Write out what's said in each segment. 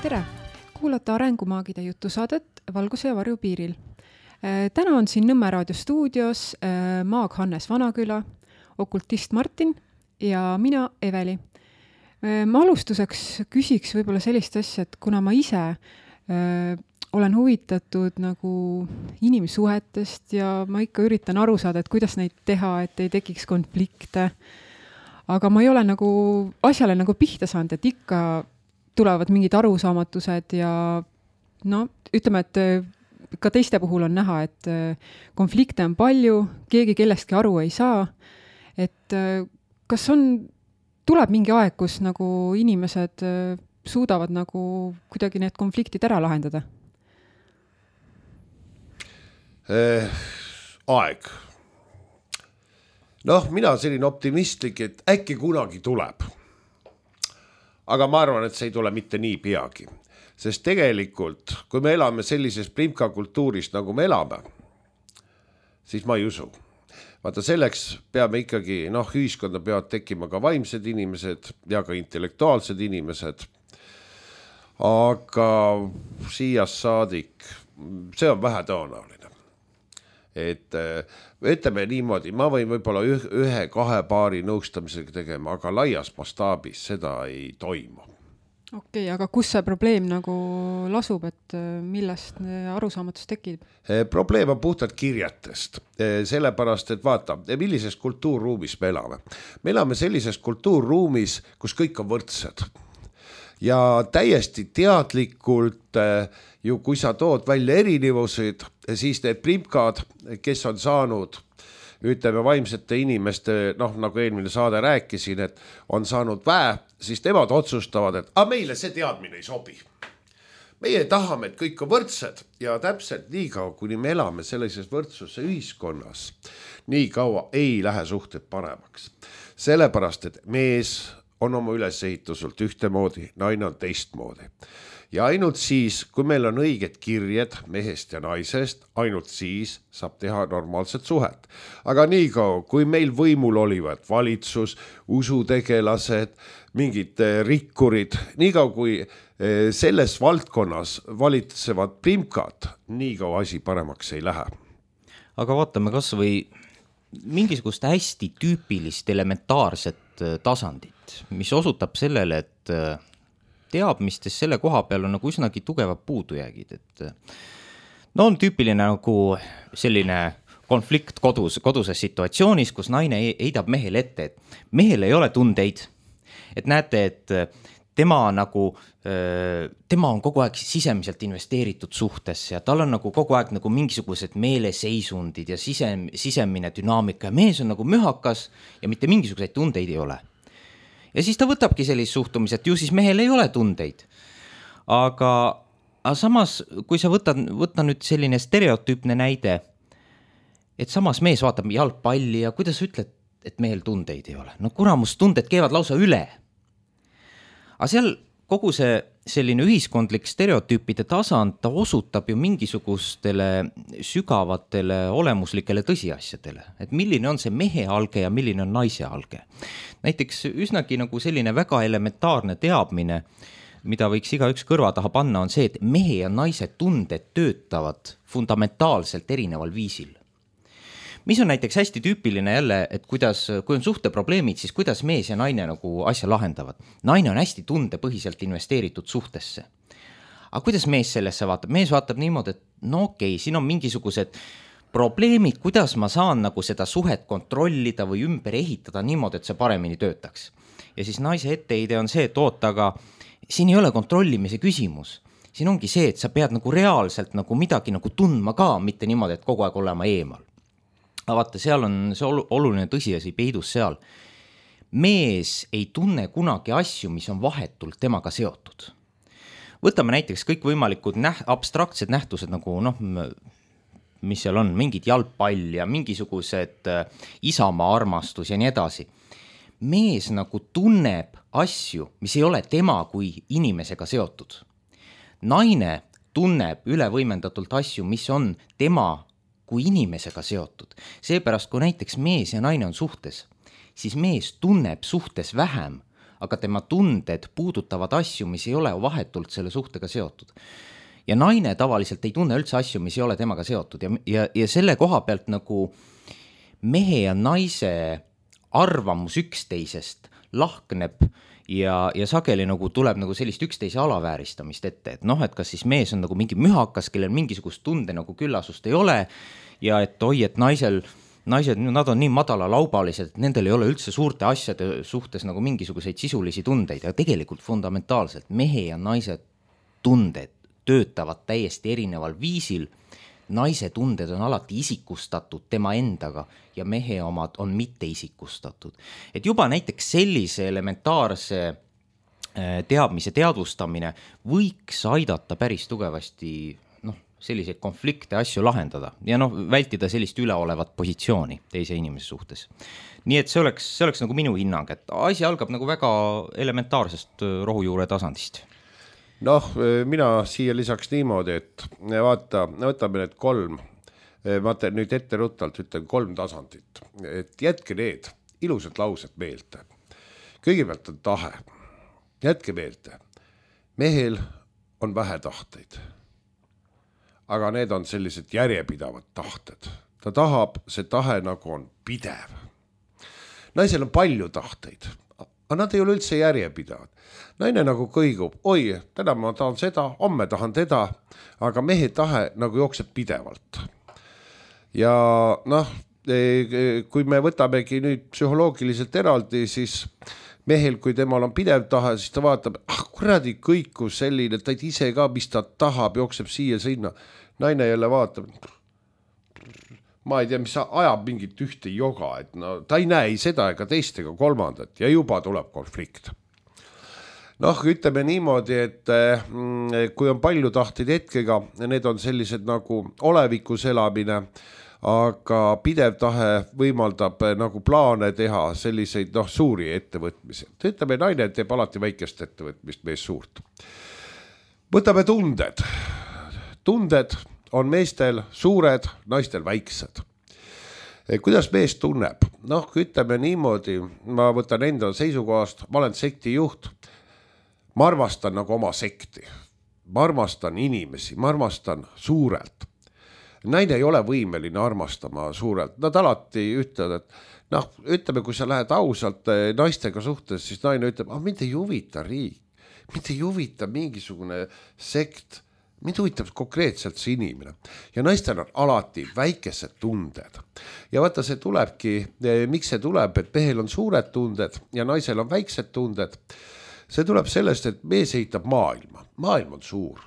Tere! Kuulate Arengumaagide jutusaadet Valguse ja varju piiril. Täna on siin Nõmme raadio stuudios maag Hannes Vanaküla, okultist Martin ja mina Eveli. Ma alustuseks küsiks võib-olla sellist asja, et kuna ma ise olen huvitatud nagu inimsuhetest ja ma ikka üritan aru saada, et kuidas neid teha, et ei tekiks konflikte, aga ma ei ole nagu asjale nagu pihta saanud, et ikka tulevad mingid arusaamatused ja ütleme, et ka teiste puhul on näha, et konflikte on palju, keegi kellestki aru ei saa, et kas tuleb mingi aeg, kus nagu inimesed suudavad nagu kuidagi need konfliktid ära lahendada? Aeg. Mina selline optimistlik, et äkki kunagi tuleb. Aga ma arvan, et see ei tule mitte nii peagi. Sest tegelikult, kui me elame sellises primka kultuuris, nagu me elame, siis ma ei usu. Vaata, selleks peame ikkagi, ühiskonda peavad tekkima ka vaimsed inimesed ja ka intellektuaalsed inimesed. Aga siias saadik, see on vähe tõenäoline. Et ütleme niimoodi, ma võin võib-olla 1-2 paari nõustamisega tegema, aga laias mastaabis seda ei toimu. Okei, aga kus see probleem nagu lasub, et millest arusaamatus tekib? Probleem on puhtalt kirjatest, sellepärast, et vaata, millises kultuurruumis me elame. Me elame sellises kultuurruumis, kus kõik on võrdsed. Ja täiesti teadlikult ju kui sa tood välja erinevused, siis need primkad, kes on saanud, ütleme vaimsete inimeste, nagu eelmine saade rääkisin, et on saanud väe, siis nemad otsustavad, et meile see teadmine ei sobi. Meie tahame, et kõik on võrdsed ja täpselt nii kaua, kuni me elame sellises võrdsuse ühiskonnas, nii kaua ei lähe suhted paremaks. Sellepärast, et mees on oma ülesehituselt ühtemoodi, naine on teistmoodi. Ja ainult siis, kui meil on õiged kirjed mehest ja naisest, ainult siis saab teha normaalset suhet. Aga nii kaua, kui meil võimul olivad valitsus, usutegelased, mingid rikkurid, nii kaua kui selles valdkonnas valitsevad primkad, nii kaua asi paremaks ei lähe. Aga vaatame kas või mingisugust hästi tüüpilist elementaarset tasandit, mis osutab sellele, et teadmistes selle koha peal on nagu üsnagi tugevad puudujäägid. On tüüpiline nagu selline konflikt koduses situatsioonis, kus naine heidab mehele ette, et mehel ei ole tundeid. Et näete, et tema on kogu aeg sisemiselt investeeritud suhtesse ja tal on nagu kogu aeg nagu mingisugused meeleseisundid ja sisemine dünaamika ja mees on nagu mühakas ja mitte mingisuguseid tundeid ei ole. Ja siis ta võtabki sellist suhtumist, et ju siis mehel ei ole tundeid. Aga samas, kui sa võta nüüd selline stereotüüpne näide, et samas mees vaatab jalgpalli ja kuidas ütled, et mehel tundeid ei ole. Kuramus, tunded keevad lausa üle. Aga seal kogu see selline ühiskondlik stereotüüpide tasand, ta osutab ju mingisugustele sügavatele olemuslikele tõsiasjadele. Et milline on see mehe alge ja milline on naise alge. Näiteks üsnagi nagu selline väga elementaarne teadmine, mida võiks igaüks kõrva taha panna, on see, et mehe ja naise tunded töötavad fundamentaalselt erineval viisil. Mis on näiteks hästi tüüpiline jälle, et kui on suhteprobleemid, siis kuidas mees ja naine nagu asja lahendavad. Naine on hästi tundepõhiselt investeeritud suhtesse. Aga kuidas mees sellesse vaatab? Mees vaatab niimoodi, et siin on mingisugused probleemid, kuidas ma saan nagu seda suhet kontrollida või ümber ehitada niimoodi, et see paremini töötaks. Ja siis naise etteheide on see, et aga siin ei ole kontrollimise küsimus. Siin ongi see, et sa pead nagu reaalselt nagu midagi nagu tundma ka, mitte niimoodi, et kogu aeg olema eemal. Vaata, seal on see oluline tõsiasi peidus seal. Mees ei tunne kunagi asju, mis on vahetult temaga seotud. Võtame näiteks kõik võimalikud abstraktsed nähtused, nagu mis seal on, mingid jalgpall ja mingisugused isamaa armastus ja nii edasi. Mees nagu tunneb asju, mis ei ole tema kui inimesega seotud. Naine tunneb ülevõimendatult asju, mis on tema kui inimesega seotud. Seepärast, kui näiteks mees ja naine on suhtes, siis mees tunneb suhtes vähem, aga tema tunded puudutavad asju, mis ei ole vahetult selle suhtega seotud. Ja naine tavaliselt ei tunne üldse asju, mis ei ole temaga seotud ja selle koha pealt nagu mehe ja naise arvamus üksteisest lahkneb ja sageli nagu tuleb nagu sellist üksteise alavääristamist ette, et noh, et kas siis mees on nagu mingi mühakas, kellel mingisugust tunde nagu küllasust ei ole ja et oi, et naised, nad on nii madalalaubalised, et nendel ei ole üldse suurte asjade suhtes nagu mingisuguseid sisulisi tundeid ja tegelikult fundamentaalselt mehe ja naise tunded töötavad täiesti erineval viisil. Naise tunded on alati isikustatud tema endaga ja mehe omad on mitte isikustatud. Et juba näiteks sellise elementaarse teadmise teadvustamine võiks aidata päris tugevasti selliseid konflikte asju lahendada ja vältida sellist üleolevat positsiooni teise inimese suhtes. Nii et see oleks nagu minu hinnang, et asi algab nagu väga elementaarsest rohujuure tasandist. Mina siia lisaks niimoodi, et vaata, võtame need 3, ma nüüd etteruttalt ütlen 3 tasandit, et jätke need ilusad laused meelde. Kõigepealt on tahe, jätke meelde, mehel on vähe tahteid, aga need on sellised järjepidavad tahted. Ta tahab, see tahe nagu on pidev. Naisel on palju tahteid, aga nad ei ole üldse järjepidavad. Naine nagu kõigub, oi, täna ma tahan seda, homme tahan teda, aga mehe tahe nagu jookseb pidevalt. Ja kui me võtamegi nüüd psühholoogiliselt eraldi, siis mehel, kui temal on pidev tahe, siis ta vaatab, kuradi kõikus selline, ta ei ise ka, mis ta tahab, jookseb siia sinna. Naine jälle vaatab, ma ei tea, mis ajab mingit ühte joga, et ta ei näe seda ega teist ega kolmandat ja juba tuleb konflikt. Ütleme niimoodi, et kui on palju tahteid hetkega, need on sellised nagu olevikus elamine, aga pidev tahe võimaldab nagu plaane teha selliseid suuri ettevõtmisi. Ütleme, naine teeb alati väikest ettevõtmist, mees suurt. Võtame tunded. Tunded on meestel suured, naistel väiksed. Kuidas mees tunneb? Ütleme niimoodi, ma võtan enda seisukohast, ma olen sekti juht, ma armastan nagu oma sekti, ma armastan inimesi, ma armastan suurelt. Naine ei ole võimeline armastama suurelt, nad alati ütlevad, et ütleme, kui sa lähed ausalt naistega suhtes, siis naine ütleb, mind ei huvita riik, mind ei huvita mingisugune sekt, mind huvitab konkreetselt see inimene. Ja naistel on alati väikesed tunded. Ja vaata, see tulebki, miks see tuleb, et mehel on suured tunded ja naisel on väiksed tunded. See tuleb sellest, et mees ehitab maailma. Maailm on suur.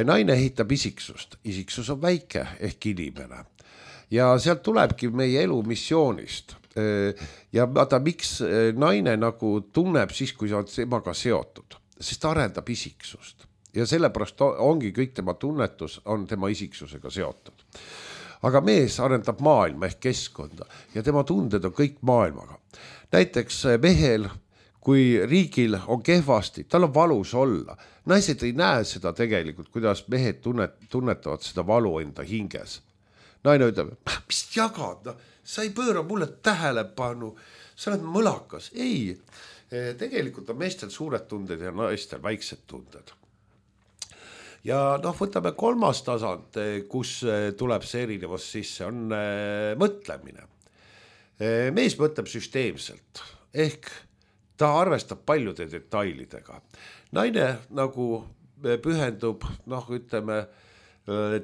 Naine ehitab isiksust. Isiksus on väike ehk inimene. Ja sealt tulebki meie elu missioonist. Ja vaata, miks naine nagu tunneb siis, kui sa oled temaga seotud. Sest ta arendab isiksust. Ja sellepärast ongi kõik tema tunnetus on tema isiksusega seotud. Aga mees arendab maailma ehk keskkonda ja tema tunded on kõik maailmaga. Näiteks mehel, kui riigil on kehvasti, tal on valus olla. Naised ei näe seda tegelikult, kuidas mehed tunnetavad seda valu enda hinges. Naine ütleb, mis jagad, sa ei pööra mulle tähelepanu, sa oled mõlakas. Ei, tegelikult on meestel suured tunded ja naistel väiksed tunded. Ja võtame 3. tasand, kus tuleb see erinevus sisse, on mõtlemine. Mees mõtleb süsteemselt, ehk ta arvestab paljude detailidega. Naine nagu pühendub, ütleme,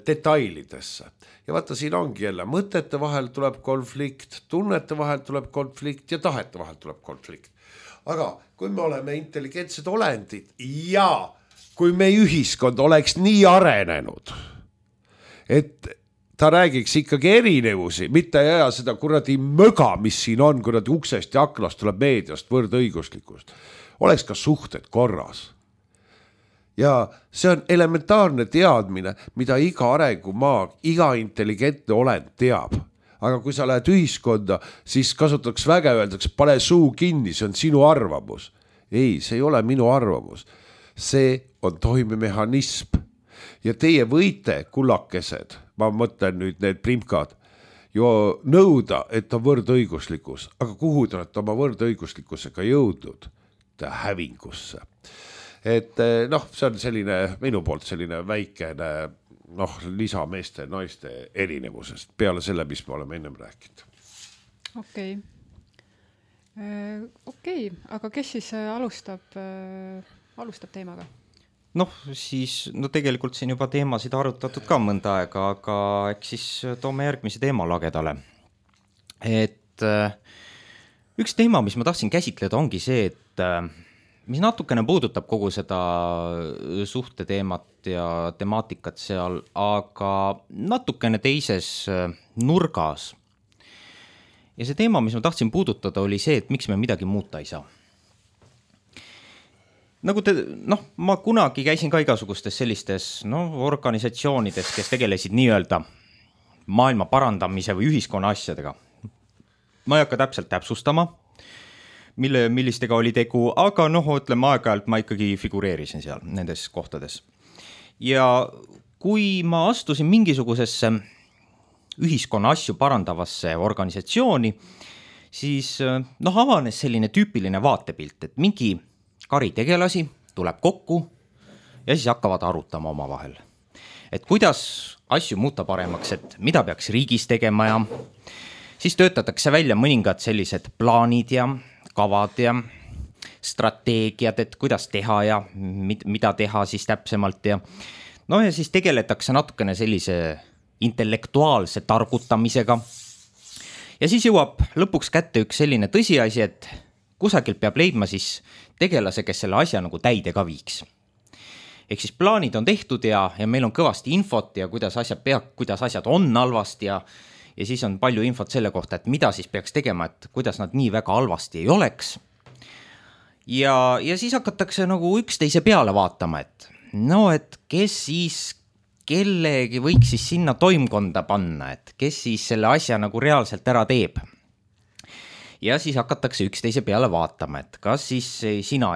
detailidesse. Ja vaata, siin ongi jälle, mõtete vahel tuleb konflikt, tunnete vahel tuleb konflikt ja tahete vahel tuleb konflikt. Aga kui me oleme intelligentsed olendid ja kui meie ühiskond oleks nii arenenud, et ta räägiks ikkagi erinevusi, mitte ei aja seda kuradi möga, mis siin on, kuradi uksest ja aknast tuleb meediast võrdõiguslikust. Oleks ka suhted korras. Ja see on elementaarne teadmine, mida iga arengumaag, iga intelligentne olend teab. Aga kui sa lähed ühiskonda, siis kasutaks väga öeldaks, pane suu kinni, see on sinu arvamus. Ei, see ei ole minu arvamus. See on toimemehhanism. Ja teie võite, kullakesed, ma mõtlen nüüd need primkad, jo nõuda, et on võrdõiguslikkus. Aga kuhu te olete oma võrdõiguslikkusega jõudnud? hävingusse. Et noh, see on selline minu poolt selline väikene lisa meeste ja naiste erinevusest peale selle, mis me oleme ennem rääkinud. Okei, aga kes siis alustab teemaga? Tegelikult siin juba teemasid arutatud ka mõnda aega, aga eks siis toome järgmise teema lagedale. Et üks teema, mis ma tahtsin käsitleda, ongi see, et mis natukene puudutab kogu seda suhte teemat ja temaatikat seal, aga natukene teises nurgas. Ja see teema, mis ma tahtsin puudutada, oli see, et miks me midagi muuta ei saa. Ma kunagi käisin ka igasugustes sellistes organisatsioonides, kes tegelesid nii-öelda maailma parandamise või ühiskonna asjadega. Ma ei hakka täpselt täpsustama, millistega oli tegu, aga ütleme aeg-ajalt ma ikkagi figureerisin seal nendes kohtades. Ja kui ma astusin mingisugusesse ühiskonna asju parandavasse organisatsiooni, siis avanes selline tüüpiline vaatepilt, et mingi kari tegelasi tuleb kokku ja siis hakkavad arutama oma vahel. Et kuidas asju muuta paremaks, et mida peaks riigis tegema ja siis töötatakse välja mõningad sellised plaanid ja kavad ja strateegiad, et kuidas teha ja mida teha siis täpsemalt ja ja siis tegeletakse natukene sellise intellektuaalse targutamisega. Ja siis jõuab lõpuks kätte üks selline tõsiasi, et kusagilt peab leidma siis tegelase, kes selle asja nagu täide ka viiks. Ehk siis plaanid on tehtud ja meil on kõvasti infot ja kuidas asjad on halvasti ja siis on palju infot selle kohta, et mida siis peaks tegema, et kuidas nad nii väga halvasti ei oleks. Ja siis hakatakse nagu üksteise peale vaatama, et kes siis kellegi võiks siis sinna toimkonda panna, et kes siis selle asja nagu reaalselt ära teeb. Ja siis hakatakse üksteise peale vaatama, et kas siis sina,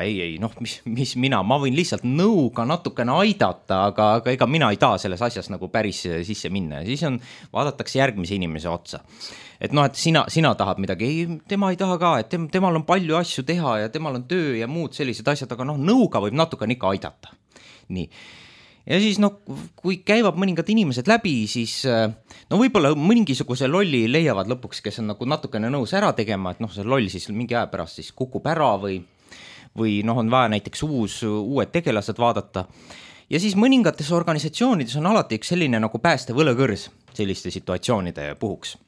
mis mina, ma võin lihtsalt nõuga natukene aidata, aga ega mina ei taha selles asjas nagu päris sisse minna. Ja siis vaadatakse järgmise inimese otsa. Et et sina tahad midagi, tema ei taha ka, et temal on palju asju teha ja temal on töö ja muud sellised asjad, aga nõuga võib natukene ikka aidata. Nii. Ja siis kui käivad mõningad inimesed läbi, siis võib-olla mingisuguse lolli leiavad lõpuks, kes on nagu natukene nõus ära tegema, et see loll siis mingi aja pärast siis kukub ära või on vaja näiteks uued tegelased vaadata. Ja siis mõningates organisatsioonides on alati üks selline nagu pääste võlekõrs selliste situatsioonide puhuks.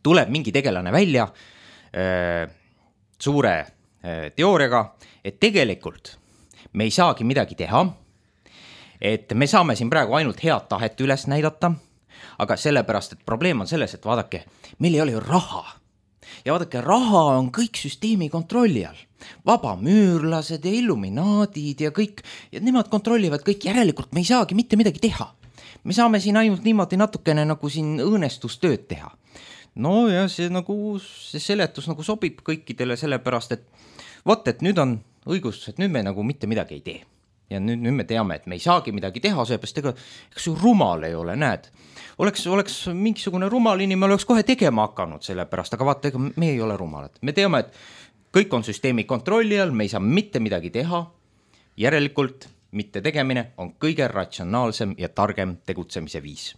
Tuleb mingi tegelane välja suure teooriaga, et tegelikult me ei saagi midagi teha, et me saame siin praegu ainult head tahet üles näidata, aga sellepärast, et probleem on selles, et vaadake, meil ei ole ju raha. Ja vaadake, raha on kõik süsteemi kontrolli all. Vabamüürlased ja illuminaadid ja kõik, ja nemad kontrollivad kõik, järelikult me ei saagi mitte midagi teha. Me saame siin ainult niimoodi natukene nagu siin õõnestustööd teha. Ja see seletus nagu sobib kõikidele sellepärast, et nüüd on õigustus, et nüüd me nagu mitte midagi ei tee. Ja nüüd me teame, et me ei saagi midagi teha, seepärast ega ju rumal ei ole, näed. Oleks mingisugune rumal inimene, oleks kohe tegema hakanud sellepärast, aga vaata, ega me ei ole rumalad. Me teame, et kõik on süsteemi kontrolli all, me ei saa mitte midagi teha, järelikult mitte tegemine on kõige ratsionaalsem ja targem tegutsemise viis.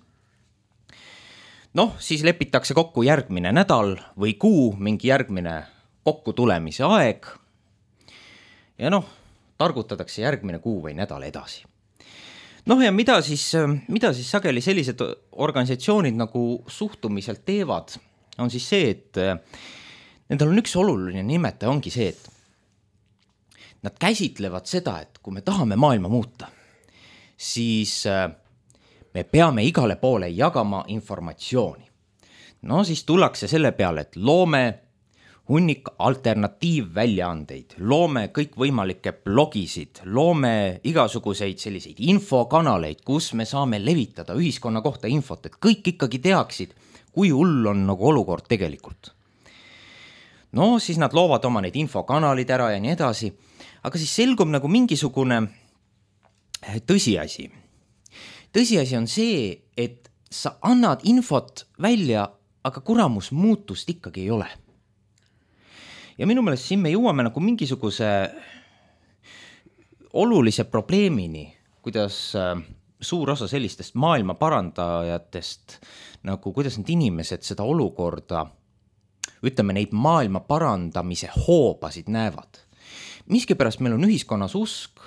Siis lepitakse kokku järgmine nädal või kuu, mingi järgmine kokku tulemise aeg ja targutatakse järgmine kuu või nädal edasi. Ja mida siis sageli sellised organisatsioonid nagu suhtumiselt teevad, on siis see, et nendel on üks oluline nimetaja, ongi see, et nad käsitlevad seda, et kui me tahame maailma muuta, siis me peame igale poole jagama informatsiooni. Siis tullakse selle peale, et loome hunnik alternatiivväljaandeid, loome kõikvõimalikke blogisid, loome igasuguseid selliseid infokanaleid, kus me saame levitada ühiskonna kohta infot, et kõik ikkagi teaksid, kui hull on nagu olukord tegelikult. Siis nad loovad oma neid infokanalid ära ja nii edasi, aga siis selgub nagu mingisugune tõsiasi. Tõsiasi on see, et sa annad infot välja, aga kuramus muutust ikkagi ei ole. ja minu meelest siin me jõuame nagu mingisuguse olulise probleemini, kuidas suur osa sellistest maailma parandajatest, nagu kuidas need inimesed seda olukorda, ütleme neid maailma parandamise hoobasid näevad. Miskipärast meil on ühiskonnas usk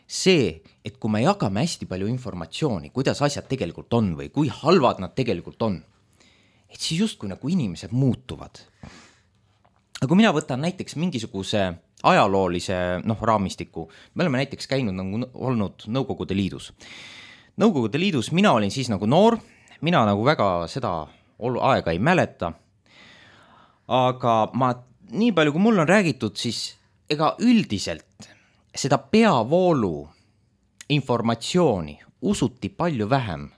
see, et kui me jagame hästi palju informatsiooni, kuidas asjad tegelikult on või kui halvad nad tegelikult on, et siis justkui nagu inimesed muutuvad. Aga kui mina võtan näiteks mingisuguse ajaloolise raamistiku, me oleme näiteks käinud nagu olnud Nõukogude Liidus. Nõukogude Liidus mina olin siis nagu noor, mina nagu väga seda aega ei mäleta, aga ma nii palju, kui mul on räägitud, siis ega üldiselt seda peavoolu informatsiooni usuti palju vähem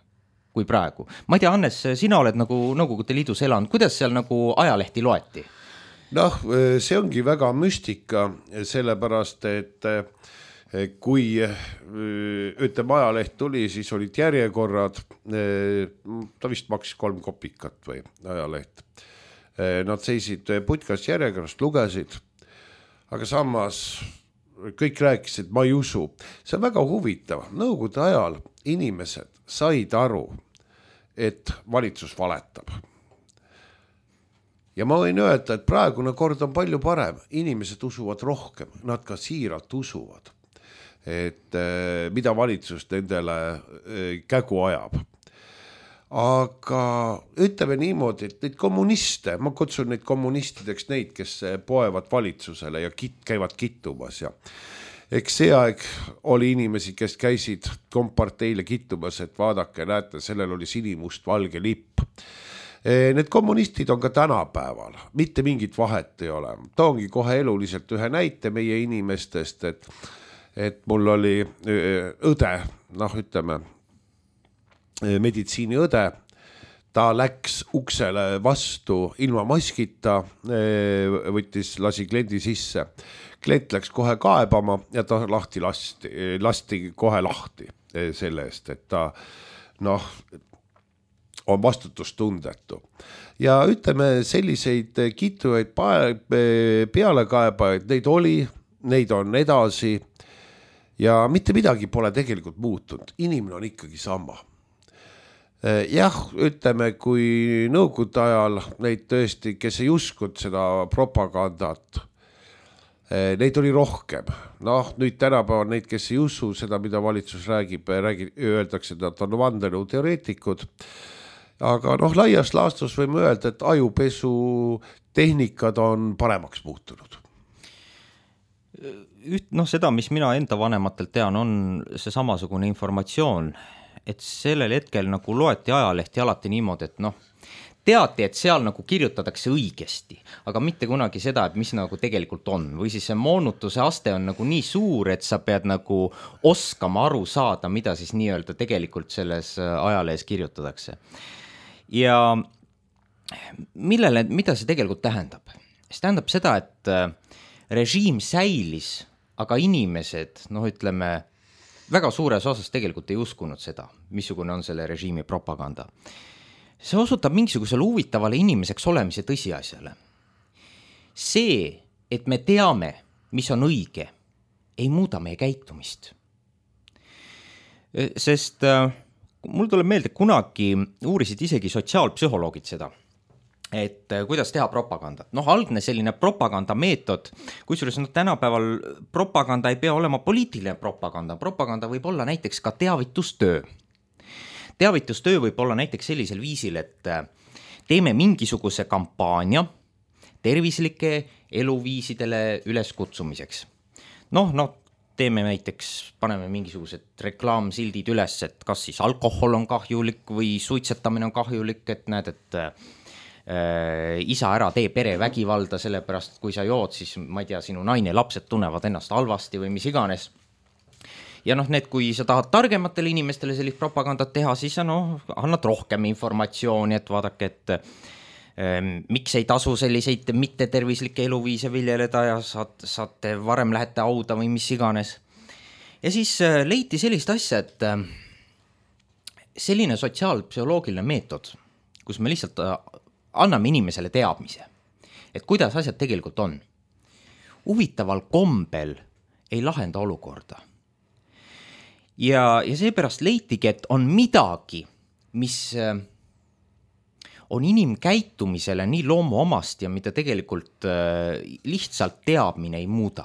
kui praegu. Ma ei tea, Hannes, sina oled nagu Nõukogude Liidus elanud, kuidas seal nagu ajalehti loeti? Noh, see ongi väga müstika, sellepärast, et kui ütleme ajaleht tuli, siis olid järjekorrad, ta vist maksis 3 kopikat või ajaleht. Nad seisid putkas järjekorrast, lugesid, aga samas kõik rääkisid, ma ei usu. See on väga huvitav. Nõukogude ajal inimesed said aru, et valitsus valetab. Ja ma võin öelda, et praegune kord on palju parem. Inimesed usuvad rohkem, nad ka siiralt usuvad, et mida valitsus nendele kägu ajab. Aga ütleme niimoodi, et neid kommuniste, ma kutsun neid kommunistideks neid, kes poevad valitsusele ja käivad kittumas. Ja eks see aeg oli inimesi, kes käisid komparteile kittumas, et vaadake, näete, sellel oli sinimust valge lipp. Need kommunistid on ka tänapäeval, mitte mingit vahet ei ole. Toongi kohe eluliselt ühe näite meie inimestest, et mul oli õde, ütleme, meditsiiniõde, ta läks uksele vastu ilma maskita, lasi kliendi sisse. Klient läks kohe kaebama ja ta lasti kohe lahti selle eest, et ta on vastutustundetu. Ja ütleme, selliseid kittujaid pealekaebajaid, neid oli, neid on edasi ja mitte midagi pole tegelikult muutunud. Inimene on ikkagi sama. Jah, ütleme, kui Nõukogude ajal neid tõesti, kes ei uskud seda propagandat, neid oli rohkem. Nüüd tänapäeval neid, kes ei usu seda, mida valitsus räägib, öeldakse, et nad on vandenõu teoreetikud. Aga laias laastus võime öelda, et ajupesu tehnikad on paremaks muutunud. Seda, mis mina enda vanematelt tean, on see samasugune informatsioon, et sellel hetkel nagu loeti ajalehti alati niimoodi, et teati, et seal nagu kirjutatakse õigesti, aga mitte kunagi seda, et mis nagu tegelikult on. Või siis see moonutuse aste on nagu nii suur, et sa pead nagu oskama aru saada, mida siis nii-öelda tegelikult selles ajalehes kirjutatakse. Ja mida see tegelikult tähendab? See tähendab seda, et režiim säilis, aga inimesed, ütleme, väga suures osas tegelikult ei uskunud seda, missugune on selle režiimi propaganda. See osutab mingisugusele huvitavale inimeseks olemise tõsiasjale. See, et me teame, mis on õige, ei muuda meie käitumist. Sest mul tuleb meelde, kunagi uurisid isegi sotsiaalpsühholoogid seda, et kuidas teha propagandat. Algne selline propagandameetod, kusjuures tänapäeval propaganda ei pea olema poliitiline propaganda. Propaganda võib olla näiteks ka teavitustöö. Teavitustöö võib olla näiteks sellisel viisil, et teeme mingisuguse kampaania tervislike eluviisidele üleskutsumiseks. Teeme näiteks, paneme mingisugused reklaamsildid üles, et kas siis alkohol on kahjulik või suitsetamine on kahjulik, et näed, et isa ära tee perevägivalda, sellepärast kui sa jood, siis ma ei tea, sinu naine, lapsed tunnevad ennast halvasti või mis iganes. Ja kui sa tahad targematele inimestele sellist propagandat teha, siis annad rohkem informatsiooni, et vaadake, et miks ei tasu selliseid mittetervislikke eluviise viljeleda ja saate varem lähete auda või mis iganes. Ja siis leiti sellist asja, et selline sotsiaalpsühholoogiline meetod, kus me lihtsalt anname inimesele teadmise, et kuidas asjad tegelikult on. huvitaval kombel ei lahenda olukorda. Ja seepärast leitigi, et on midagi, mis on inimkäitumisele nii loomuomast ja mida tegelikult lihtsalt teadmine ei muuda.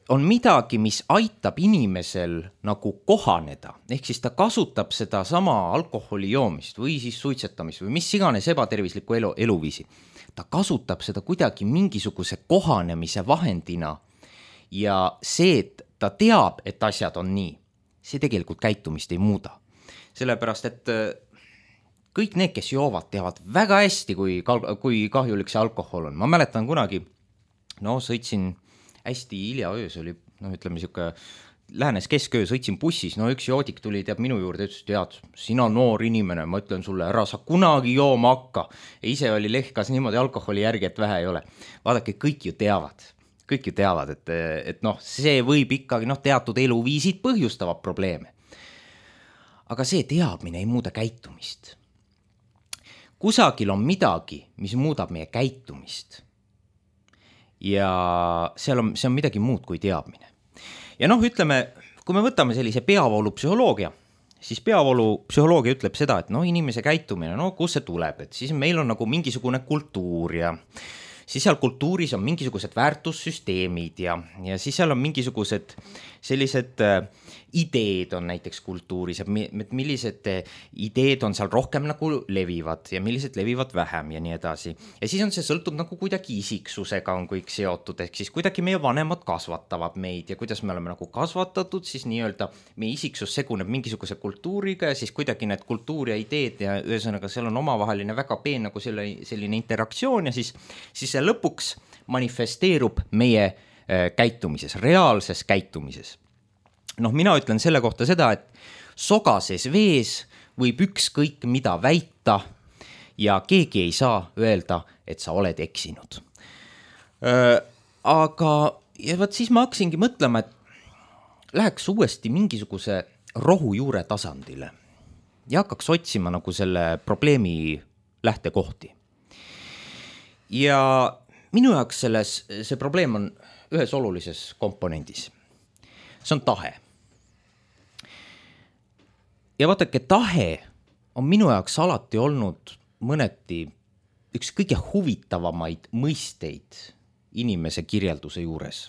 On midagi, mis aitab inimesel nagu kohaneda, ehk siis ta kasutab seda sama alkoholi joomist või siis suitsetamist või mis iganes ebatervislikku eluviisi. Ta kasutab seda kuidagi mingisuguse kohanemise vahendina ja see, et ta teab, et asjad on nii, see tegelikult käitumist ei muuda. Sellepärast, et kõik need, kes joovad, teavad väga hästi, kui kahjulik see alkohol on. Ma mäletan kunagi, sõitsin hästi hilja öös, oli, ütleme siuke, lähenes kesköö, sõitsin bussis, üks joodik tuli, teab minu juurde, ütles, tead, sina noor inimene, ma ütlen sulle, ära sa kunagi jooma hakka. Ja ise oli lehkas niimoodi alkoholi järgi, et vähe ei ole. Vaadake, kõik ju teavad, et see võib ikkagi, teatud eluviisid põhjustavad probleeme. Aga see teadmine ei muuda käitumist. Kusagil on midagi, mis muudab meie käitumist. Ja see on midagi muud kui teadmine. Ja ütleme, kui me võtame sellise peavoolupsühholoogia, siis peavoolupsühholoogia ütleb seda, et inimese käitumine, kus see tuleb, et siis meil on nagu mingisugune kultuur ja siis seal kultuuris on mingisugused väärtussüsteemid ja siis seal on mingisugused sellised ideed on näiteks kultuuris, et millised ideed on seal rohkem nagu levivad ja millised levivad vähem ja nii edasi. Ja siis on see sõltub nagu kuidagi isiksusega on kõik seotud, ehk siis kuidagi meie vanemad kasvatavad meid ja kuidas me oleme nagu kasvatatud, siis nii-öelda meie isiksus seguneb mingisuguse kultuuriga ja siis kuidagi need kultuur ja ideed ja ühesõnaga seal on omavaheline väga peen nagu selline interaktsioon ja siis see lõpuks manifesteerub meie käitumises, reaalses käitumises. Mina ütlen selle kohta seda, et sogases vees võib ükskõik mida väita ja keegi ei saa öelda, et sa oled eksinud. Aga ja siis ma hakkasingi mõtlema, et läheks uuesti mingisuguse rohujuure tasandile ja hakkaks otsima nagu selle probleemi lähtekohti. Ja minu jaoks see probleem on ühes olulises komponendis. See on tahe. Ja vaadake, tahe on minu jaoks alati olnud mõneti üks kõige huvitavamaid mõisteid inimese kirjelduse juures.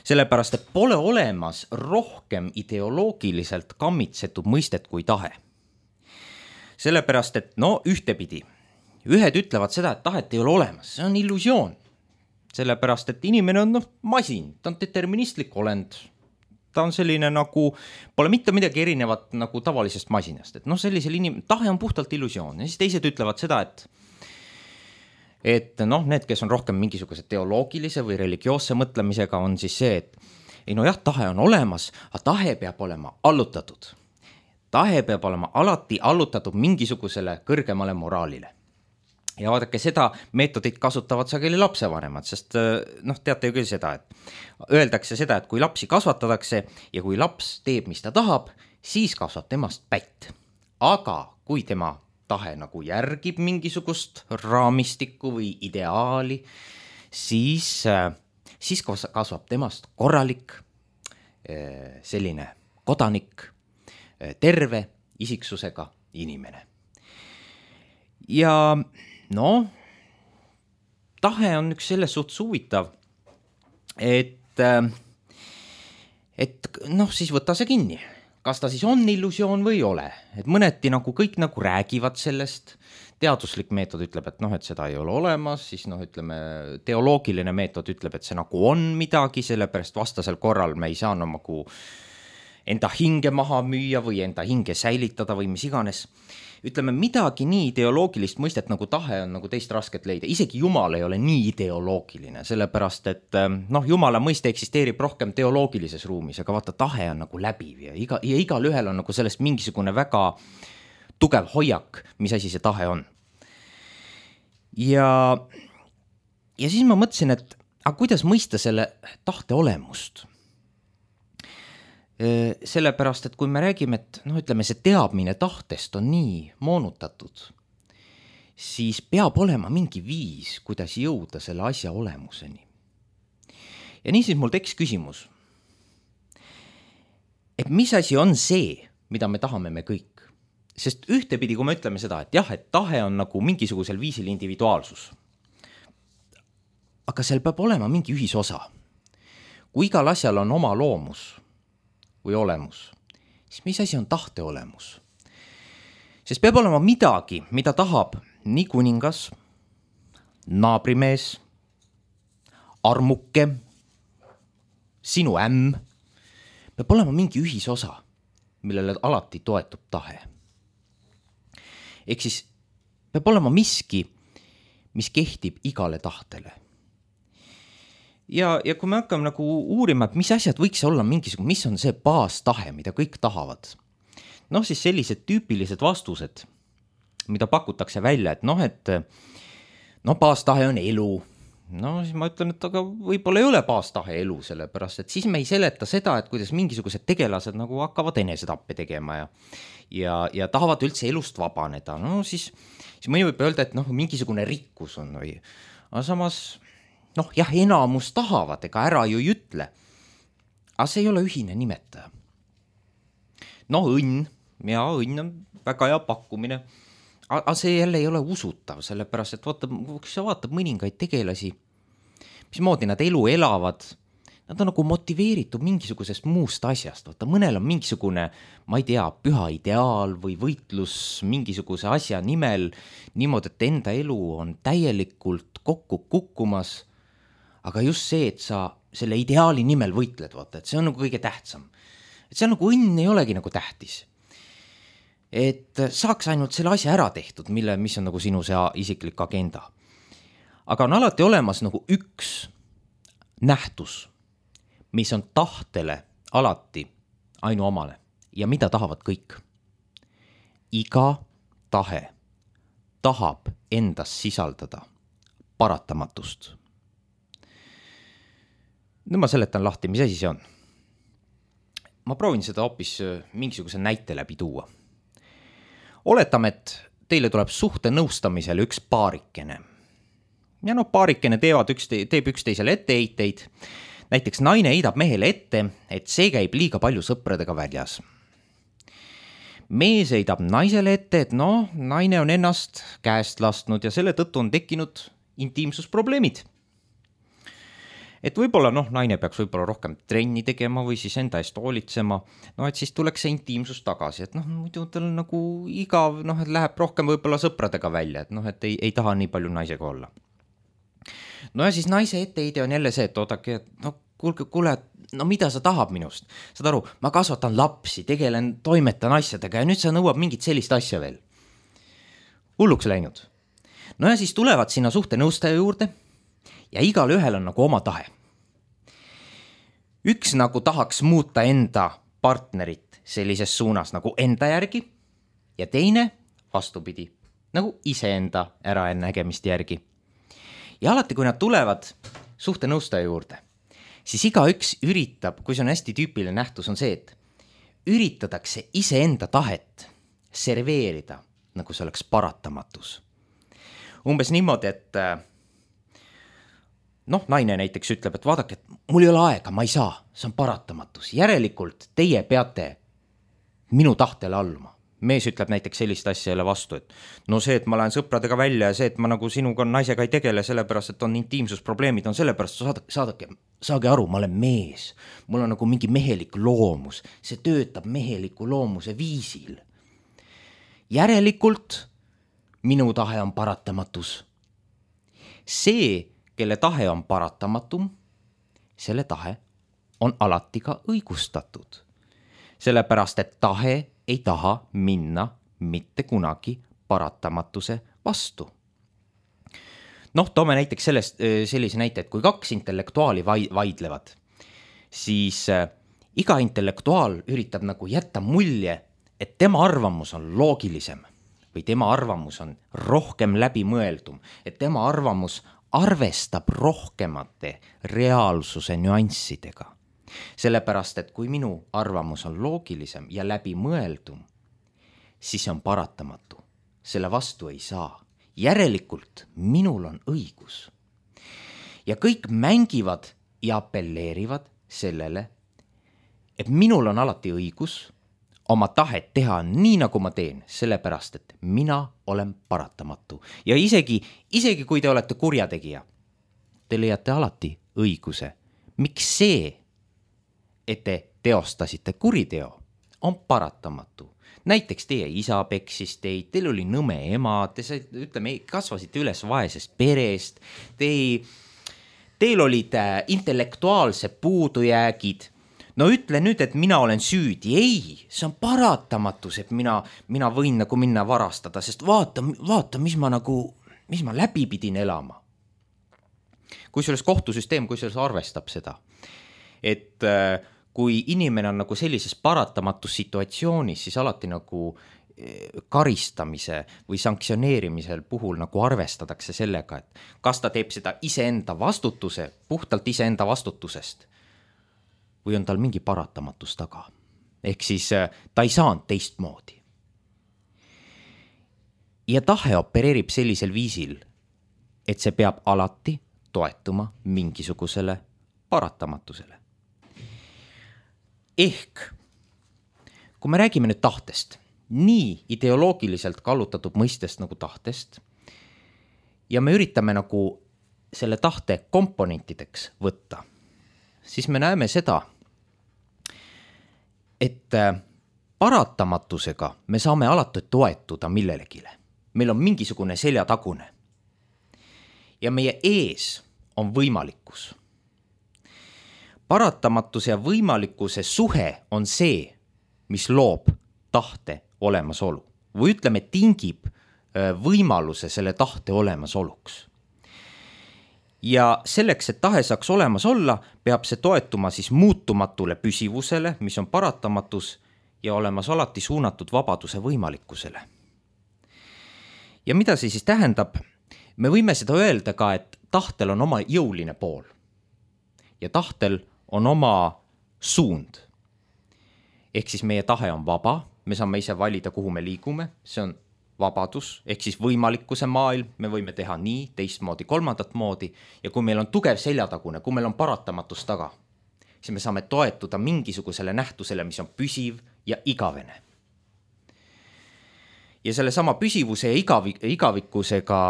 Sellepärast, et pole olemas rohkem ideoloogiliselt kammitsetud mõistet kui tahe. Sellepärast, et ühtepidi, ühed ütlevad seda, et tahet ei ole olemas, see on illusioon. Sellepärast, et inimene on masin, ta on deterministlik olend. Ta on selline nagu, pole mitte midagi erinevat nagu tavalisest masinast, et sellisel tahe on puhtalt illusioon. Ja siis teised ütlevad seda, et need, kes on rohkem mingisuguse teoloogilise või religioosse mõtlemisega, on siis see, et tahe on olemas, aga tahe peab olema allutatud. Tahe peab olema alati allutatud mingisugusele kõrgemale moraalile. Ja vaadake, seda meetodit kasutavad sageli lapsevanemad, sest teate ju küll seda, et öeldakse seda, et kui lapsi kasvatatakse ja kui laps teeb, mis ta tahab, siis kasvab temast pätt. Aga kui tema tahe nagu järgib mingisugust raamistikku või ideaali, siis kasvab temast korralik, selline kodanik, terve isiksusega inimene. Ja tahe on üks selles suhtes huvitav, et siis võta see kinni. Kas ta siis on illusioon või ei ole? Et mõneti nagu kõik nagu räägivad sellest, teaduslik meetod ütleb, et seda ei ole olemas, siis ütleme, teoloogiline meetod ütleb, et see nagu on midagi, sellepärast vastasel korral me ei saa nagu enda hinge maha müüa või enda hinge säilitada või mis iganes. Ütleme, midagi nii ideoloogilist mõistet nagu tahe on nagu teist rasket leida. Isegi Jumal ei ole nii ideoloogiline, sellepärast, et Jumala mõiste eksisteerib rohkem teoloogilises ruumis, aga vaata, tahe on nagu läbiv ja igal ühel on nagu sellest mingisugune väga tugev hoiak, mis asi see tahe on. Ja siis ma mõtlesin, et kuidas mõista selle tahte olemust? Sellepärast, et kui me räägime, et ütleme, see teadmine tahtest on nii moonutatud, siis peab olema mingi viis, kuidas jõuda selle asja olemuseni. ja niisiis mul tekkis küsimus, et mis asi on see, mida me tahame me kõik. Sest ühtepidi, kui me ütleme seda, et jah, et tahe on nagu mingisugusel viisil individuaalsus, aga seal peab olema mingi ühisosa. Kui igal asjal on oma loomus või olemus, siis mis asi on tahte olemus? Sest peab olema midagi, mida tahab nii kuningas, naabrimees, armuke, sinu ämm. Peab olema mingi ühisosa, millele alati toetub tahe. Ehk siis peab olema miski, mis kehtib igale tahtele. Ja kui me hakkame nagu uurima, et mis asjad võiks olla mingisugune, mis on see baastahe, mida kõik tahavad, siis sellised tüüpilised vastused, mida pakutakse välja, et baastahe on elu. Siis ma ütlen, et aga võib-olla ei ole baastahe elu, sellepärast, et siis me ei seleta seda, et kuidas mingisugused tegelased nagu hakkavad enesetappe tegema ja tahavad üldse elust vabaneda. Siis mõni võib öelda, et mingisugune rikkus on või. Aga samas, enamus tahavad, ega ära ju ei ütle. Aga see ei ole ühine nimetaja. Õnn on väga hea pakkumine. Aga see jälle ei ole usutav, sellepärast, et kui sa vaatad mõningaid tegelasi, mismoodi nad elu elavad, nad on nagu motiveeritud mingisugusest muust asjast. Mõnel on mingisugune, ma ei tea, püha ideaal või võitlus mingisuguse asja nimel, niimoodi, et enda elu on täielikult kokku kukkumas, aga just see, et sa selle ideaali nimel võitled, et see on nagu kõige tähtsam. Et see on nagu õnn ei olegi nagu tähtis. Et saaks ainult selle asja ära tehtud, mis on nagu sinu see isiklik agenda. Aga on alati olemas nagu üks nähtus, mis on tahtele alati ainuomane ja mida tahavad kõik. Iga tahe tahab endas sisaldada paratamatust. Nüüd ma seletan lahti, mis asi see on. Ma proovin seda hoopis mingisuguse näite läbi tuua. Oletame, et teile tuleb suhte nõustamisele üks paarikene. Ja paarikene teeb üksteisele etteheiteid. Näiteks naine heidab mehele ette, et see käib liiga palju sõpradega väljas. Mees heidab naisele ette, et naine on ennast käest lastnud ja selle tõttu on tekkinud intiimsusprobleemid. Et võib-olla naine peaks võib-olla rohkem trenni tegema või siis enda eest hoolitsema, et siis tuleks see intiimsus tagasi, et muidu tal nagu igav, et läheb rohkem võib-olla sõpradega välja, et ei taha nii palju naisega olla. Ja siis naise etteheide on jälle see, et oodake, kuule, mida sa tahab minust? Saad aru, ma kasvatan lapsi, tegelen, toimetan asjadega ja nüüd sa nõuab mingit sellist asja veel. Hulluks läinud. Ja siis tulevad sinna suhte nõustaja juurde ja igal ühel on nagu oma tahe. Üks nagu tahaks muuta enda partnerit sellises suunas nagu enda järgi ja teine vastupidi, nagu iseenda äranägemist järgi. Ja alati, kui nad tulevad suhte nõustaja juurde, siis igaüks üritab, kui see on hästi tüüpiline nähtus, on see, et üritatakse iseenda tahet serveerida, nagu see oleks paratamatus. Umbes niimoodi, et naine näiteks ütleb, et vaadake, et mul ei ole aega, ma ei saa, see on paratamatus. Järelikult teie peate minu tahtele alluma. Mees ütleb näiteks sellist asja jälle vastu, et see, et ma lähen sõpradega välja ja see, et ma nagu sinuga naisega ei tegele, sellepärast, et on intiimsusprobleemid, on sellepärast, saage aru, ma olen mees. Mul on nagu mingi mehelik loomus. See töötab meheliku loomuse viisil. Järelikult minu tahe on paratamatus. See, kelle tahe on paratamatum, selle tahe on alati ka õigustatud. Sellepärast, et tahe ei taha minna mitte kunagi paratamatuse vastu. Toome näiteks sellise näite, et kui kaks intellektuaali vaidlevad, siis iga intellektuaal üritab nagu jätta mulje, et tema arvamus on loogilisem või tema arvamus on rohkem läbimõeldum, et tema arvamus arvestab rohkemate reaalsuse nüanssidega. Sellepärast, et kui minu arvamus on loogilisem ja läbimõeldum, siis see on paratamatu. Selle vastu ei saa. Järelikult minul on õigus. Ja kõik mängivad ja apelleerivad sellele, et minul on alati õigus oma tahet teha nii, nagu ma teen, sellepärast, et mina olen paratamatu. Ja isegi kui te olete kurjategija, te leiate alati õiguse. Miks see, et te teostasite kuriteo, on paratamatu? Näiteks teie isa peksis teid, teil oli nõme ema, te kasvasite üles vaesest perest, teil olid intellektuaalsed puudujäägid. No ütle nüüd, et mina olen süüdi. Ei, see on paratamatus, et mina võin nagu minna varastada, sest vaata, mis ma läbi pidin elama. Kusjuures kohtusüsteem, arvestab seda, et kui inimene on nagu sellises paratamatus situatsioonis, siis alati nagu karistamise või sanktsioneerimisel puhul nagu arvestatakse sellega, et kas ta teeb seda puhtalt iseenda vastutusest või on tal mingi paratamatus taga. Ehk siis ta ei saanud teistmoodi. Ja tahe opereerib sellisel viisil, et see peab alati toetuma mingisugusele paratamatusele. Ehk, kui me räägime nüüd tahtest, nii ideoloogiliselt kallutatud mõistest nagu tahtest, ja me üritame nagu selle tahte komponentideks võtta, siis me näeme seda, et paratamatusega me saame alati toetuda millelegile. Meil on mingisugune seljatagune. Ja meie ees on võimalikkus. Paratamatuse ja võimalikkuse suhe on see, mis loob tahte olemasolu. Või ütleme, tingib võimaluse selle tahte olemasoluks. Ja selleks, et tahe saaks olemas olla, peab see toetuma siis muutumatule püsivusele, mis on paratamatus ja olemas alati suunatud vabaduse võimalikkusele. Ja mida see siis tähendab? Me võime seda öelda ka, et tahtel on oma jõuline pool ja tahtel on oma suund. Ehk siis meie tahe on vaba, me saame ise valida, kuhu me liigume, see on vabadus, ehk siis võimalikkuse maailm, me võime teha nii, teistmoodi, kolmandat moodi ja kui meil on tugev seljatagune, kui meil on paratamatus taga, siis me saame toetuda mingisugusele nähtusele, mis on püsiv ja igavene. Ja selle sama püsivuse ja igavikkusega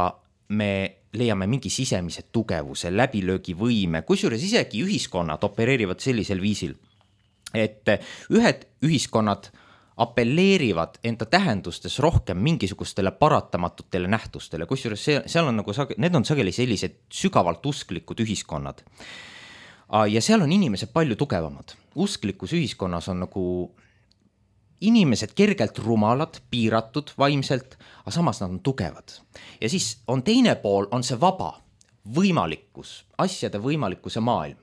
me leiame mingi sisemise tugevuse, läbilöögivõime, kusjuures isegi ühiskonnad opereerivad sellisel viisil, et ühed ühiskonnad apelleerivad enda tähendustes rohkem mingisugustele paratamatutele nähtustele, kusjuures seal on nagu, need on sageli sellised sügavalt usklikud ühiskonnad. Ja seal on inimesed palju tugevamad. Usklikus ühiskonnas on nagu inimesed kergelt rumalad, piiratud vaimselt, aga samas nad on tugevad. Ja siis on teine pool, on see vaba võimalikkus, asjade võimalikkuse maailm.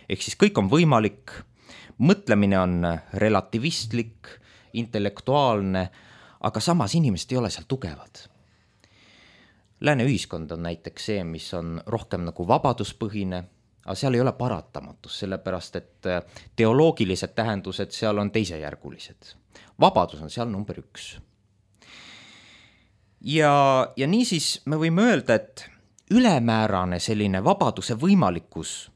Ehk siis kõik on võimalik, mõtlemine on relativistlik, intellektuaalne, aga samas inimesed ei ole seal tugevad. Lääne ühiskond on näiteks see, mis on rohkem nagu vabaduspõhine, aga seal ei ole paratamatus, sellepärast et teoloogilised tähendused seal on teisejärgulised. Vabadus on seal number 1. Ja niisiis me võime öelda, et ülemäärane selline vabaduse võimalikkus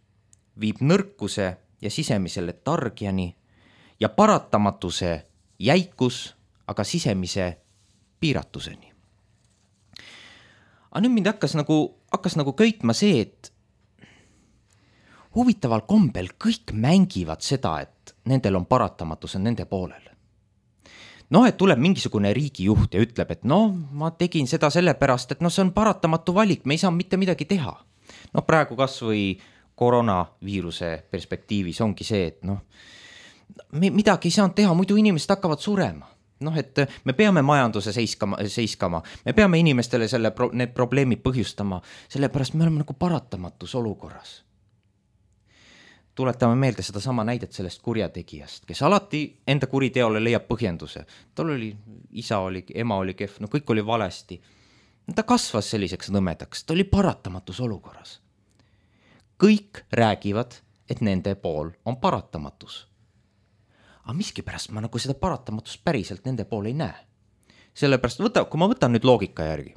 viib nõrkuse ja sisemise letargiani ja paratamatuse jäikus, aga sisemise piiratuseni. Aga nüüd mind hakkas nagu köitma see, et huvitaval kombel kõik mängivad seda, et nendel on paratamatus on nende poolel. Et tuleb mingisugune riigijuht ja ütleb, et ma tegin seda sellepärast, et see on paratamatu valik, me ei saa mitte midagi teha. Praegu kas või koroonaviiruse perspektiivis ongi see, et midagi ei saanud teha, muidu inimesed hakkavad surema. Et me peame majanduse seiskama, me peame inimestele need probleemid põhjustama, sellepärast me oleme nagu paratamatus olukorras. Tuletame meelde seda sama näidet sellest kurjategijast, kes alati enda kuriteole leiab põhjenduse. Tal oli, isa oli, ema oli kehv, kõik oli valesti. Ta kasvas selliseks nõmedaks, ta oli paratamatus olukorras. Kõik räägivad, et nende pool on paratamatus. Aga miskipärast ma nagu seda paratamatust päriselt nende pool ei näe. Sellepärast, kui ma võtan nüüd loogika järgi,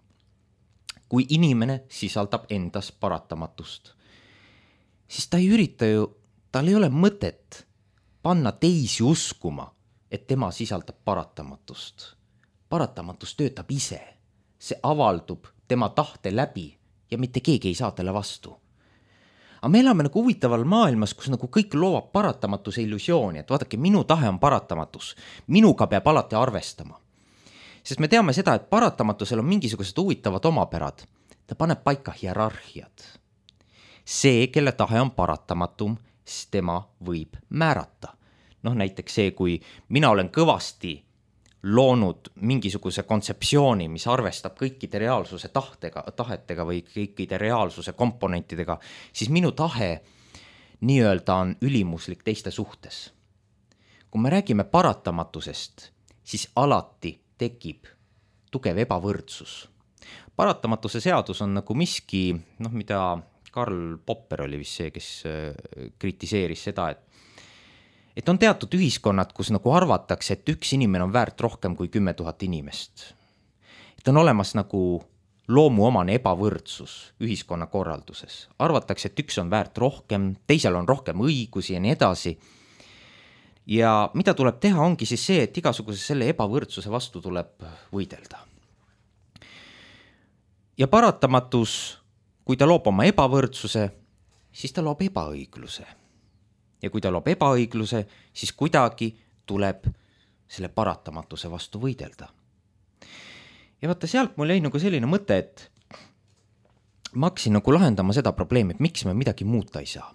kui inimene sisaldab endas paratamatust, siis ta ei ürita ju, tal ei ole mõtet panna teisi uskuma, et tema sisaldab paratamatust. Paratamatus töötab ise, see avaldub tema tahte läbi ja mitte keegi ei saa talle vastu. Aga me elame nagu huvitaval maailmas, kus nagu kõik loovab paratamatuse illusiooni, et vaadake, minu tahe on paratamatus, minuga peab alati arvestama. Sest me teame seda, et paratamatusel on mingisugused huvitavad omapärad. Ta paneb paika hierarhiad. See, kelle tahe on paratamatum, siis tema võib määrata. Näiteks see, kui mina olen kõvasti loonud mingisuguse kontseptsiooni, mis arvestab kõikide reaalsuse tahetega või kõikide reaalsuse komponentidega, siis minu tahe nii-öelda on ülimuslik teiste suhtes. Kui me räägime paratamatusest, siis alati tekib tugev ebavõrdsus. Paratamatuse seadus on nagu miski, mida Karl Popper oli vist see, kes kritiseeris seda, et on teatud ühiskonnad, kus nagu arvatakse, et üks inimene on väärt rohkem kui 10 000 inimest. Et on olemas nagu loomuomane ebavõrdsus ühiskonna korralduses. Arvatakse, et üks on väärt rohkem, teisel on rohkem õigusi ja nii edasi. Ja mida tuleb teha, ongi siis see, et igasuguse selle ebavõrdsuse vastu tuleb võidelda. Ja paratamatus, kui ta loob oma ebavõrdsuse, siis ta loob ebaõigluse. Ja kui ta loob ebaõigluse, siis kuidagi tuleb selle paratamatuse vastu võidelda. Ja vaata, sealt mul jäi nagu selline mõte, et ma hakkasin nagu lahendama seda probleemi, et miks me midagi muuta ei saa.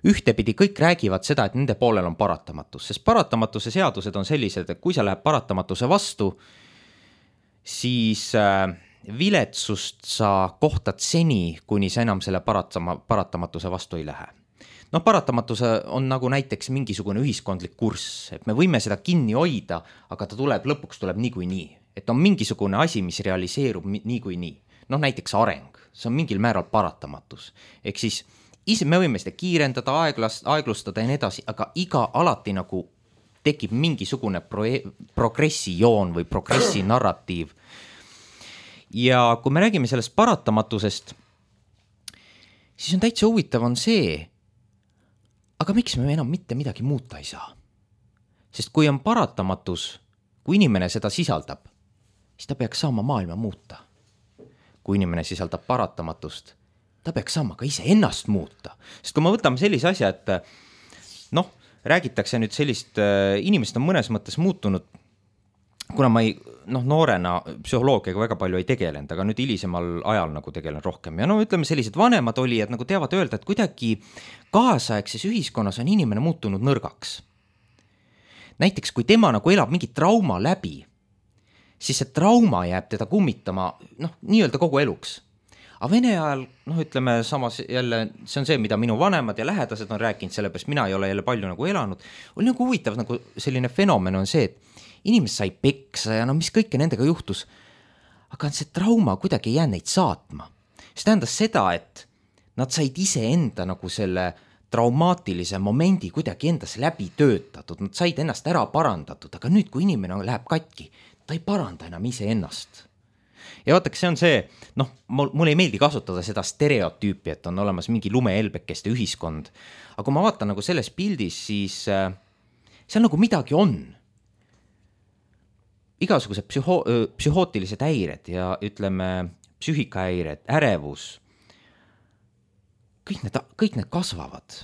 Ühtepidi kõik räägivad seda, et nende poolel on paratamatus, sest paratamatuse seadused on sellised, et kui sa läheb paratamatuse vastu, siis viletsust sa kohtad seni, kuni sa enam selle paratamatuse vastu ei lähe. Paratamatuse on nagu näiteks mingisugune ühiskondlik kurss, et me võime seda kinni hoida, aga ta lõpuks tuleb niikuinii. Et on mingisugune asi, mis realiseerub niikuinii. Näiteks areng, see on mingil määral paratamatus. Ehk siis me võime seda kiirendada, aeglustada ja nii edasi, aga iga alati nagu tekib mingisugune progressijoon või progressi narratiiv. Ja kui me räägime sellest paratamatusest, siis on täitsa huvitav on see, aga miks me enam mitte midagi muuta ei saa? Sest kui on paratamatus, kui inimene seda sisaldab, siis ta peaks saama maailma muuta. Kui inimene sisaldab paratamatust, ta peaks saama ka ise ennast muuta. Sest kui me võtame sellise asja, et räägitakse nüüd sellist, inimesed on mõnes mõttes muutunud, kuna ma noorena psühholoogiaga väga palju ei tegelenud, aga nüüd hilisemal ajal nagu tegelen rohkem. Ja ütleme, sellised vanemad olijad nagu teavad öelda, et kuidagi kaasaegses ühiskonnas on inimene muutunud nõrgaks. Näiteks, kui tema nagu elab mingi trauma läbi, siis see trauma jääb teda kummitama nii-öelda kogu eluks. Aga Vene ajal, ütleme samas jälle, see on see, mida minu vanemad ja lähedased on rääkinud, sellepärast mina ei ole jälle palju nagu elanud, oli nagu huvitav nagu selline fenomen on see, et inimesed sai peksa ja mis kõike nendega juhtus, aga see trauma kuidagi ei jää neid saatma. See tähendas seda, et nad said ise enda nagu selle traumaatilise momendi kuidagi endas läbi töötatud, nad said ennast ära parandatud, aga nüüd, kui inimene läheb katki, ta ei paranda enam ise ennast. Ja vaataks, see on see, mul ei meeldi kasutada seda stereotüüpi, et on olemas mingi lumehelbekeste ühiskond, aga kui ma vaatan nagu selles pildis, siis seal nagu midagi on. Igasugused psühhootilised häired ja ütleme psüühikahäired, ärevus, kõik need kasvavad.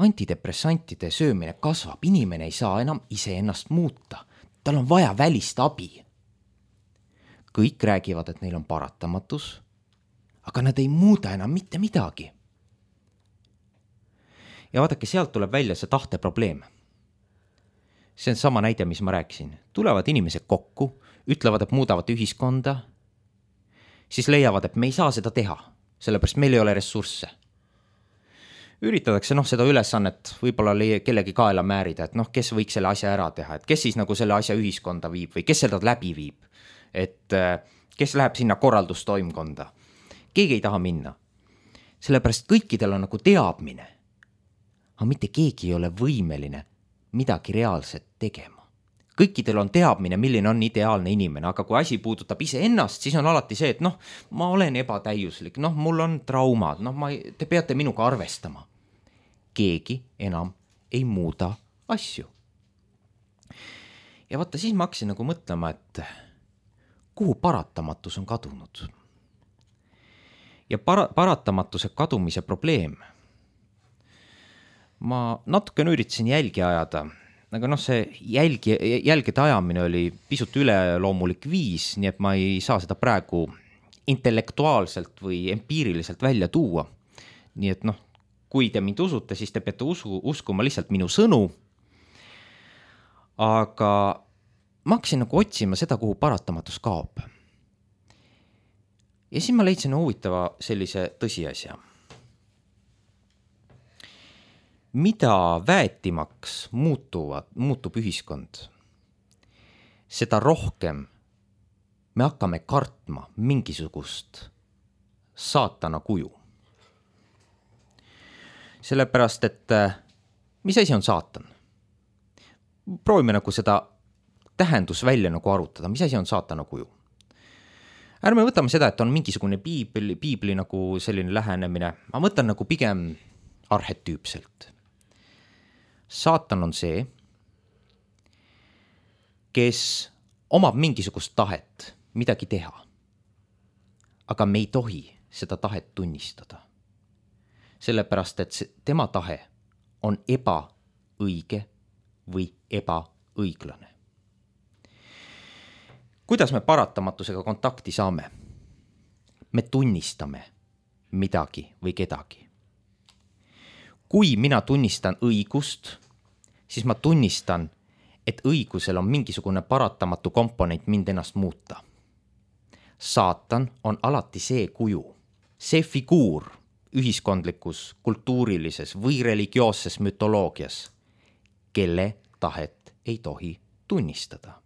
Antidepressantide söömine kasvab, inimene ei saa enam ise ennast muuta, tal on vaja välist abi. Kõik räägivad, et neil on paratamatus, aga nad ei muuda enam mitte midagi. Ja vaadake, sealt tuleb välja see tahte probleem. See on sama näide, mis ma rääkisin. Tulevad inimesed kokku, ütlevad, et muudavad ühiskonda, siis leiavad, et me ei saa seda teha, sellepärast meil ei ole ressursse. Üritatakse seda ülesannet võib-olla kellegi kaela määrida, et kes võiks selle asja ära teha, et kes siis nagu selle asja ühiskonda viib või kes seda läbi viib. Et kes läheb sinna korraldustoimkonda. Keegi ei taha minna. Sellepärast kõikidel on nagu teadmine. Aga mitte keegi ei ole võimeline midagi reaalset tegema. kõikidel on teadmine, milline on ideaalne inimene, aga kui asi puudutab iseennast, siis on alati see, et noh, ma olen ebatäiuslik, noh, mul on traumad, noh, te peate minuga arvestama. Keegi enam ei muuda asju. Ja vaata, siis ma hakkasin nagu mõtlema, et kuhu paratamatus on kadunud. Ja paratamatuse kadumise probleem. Ma natuke üritasin jälgi ajada, aga noh, see jälgede ajamine oli pisut üleloomulik viis, nii et ma ei saa seda praegu intellektuaalselt või empiiriliselt välja tuua. Nii et noh, kui te mind usute, siis te peate uskuma lihtsalt minu sõnu. Aga ma hakkasin nagu otsima seda, kuhu paratamatus kaob. Ja siis ma leidsin huvitava sellise tõsiasja. Mida väetimaks muutub ühiskond, seda rohkem me hakkame kartma mingisugust saatana kuju. Sellepärast, et mis asi on saatan? Proovime nagu seda tähendus välja nagu arutada, mis asi on saatana kuju. Ärme võtame seda, et on mingisugune piibli nagu selline lähenemine. Ma mõtlen nagu pigem arhetüüpselt. Saatan on see, kes omab mingisugust tahet midagi teha, aga me ei tohi seda tahet tunnistada. Sellepärast, et tema tahe on ebaõige või ebaõiglane. Kuidas me paratamatusega kontakti saame? Me tunnistame midagi või kedagi. Kui mina tunnistan õigust, siis ma tunnistan, et õigusel on mingisugune paratamatu komponent mind ennast muuta. Saatan on alati see kuju, see figuur ühiskondlikus, kultuurilises või religioosses mütoloogias, kelle tahet ei tohi tunnistada.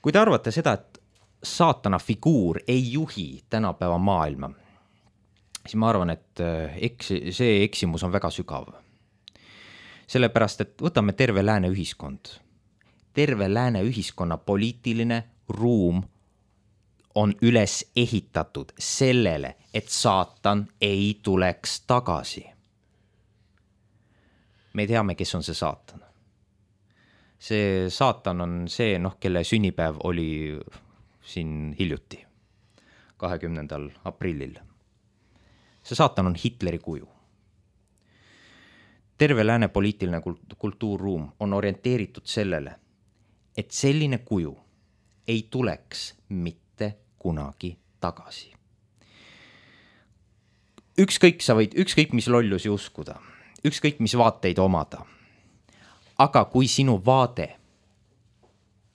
Kui te arvate seda, et saatana figuur ei juhi tänapäeva maailma, siis ma arvan, et see eksimus on väga sügav. Sellepärast, et võtame terve lääne ühiskond. Terve lääne ühiskonna poliitiline ruum on üles ehitatud sellele, et saatan ei tuleks tagasi. Me teame, kes on see saatan. See saatan on see, kelle sünnipäev oli siin hiljuti, 20. aprillil. See saatan on Hitleri kuju. Terve lääne poliitiline kultuurruum on orienteeritud sellele, et selline kuju ei tuleks mitte kunagi tagasi. Ükskõik mis lollusi uskuda, ükskõik mis vaateid omada, aga kui sinu vaade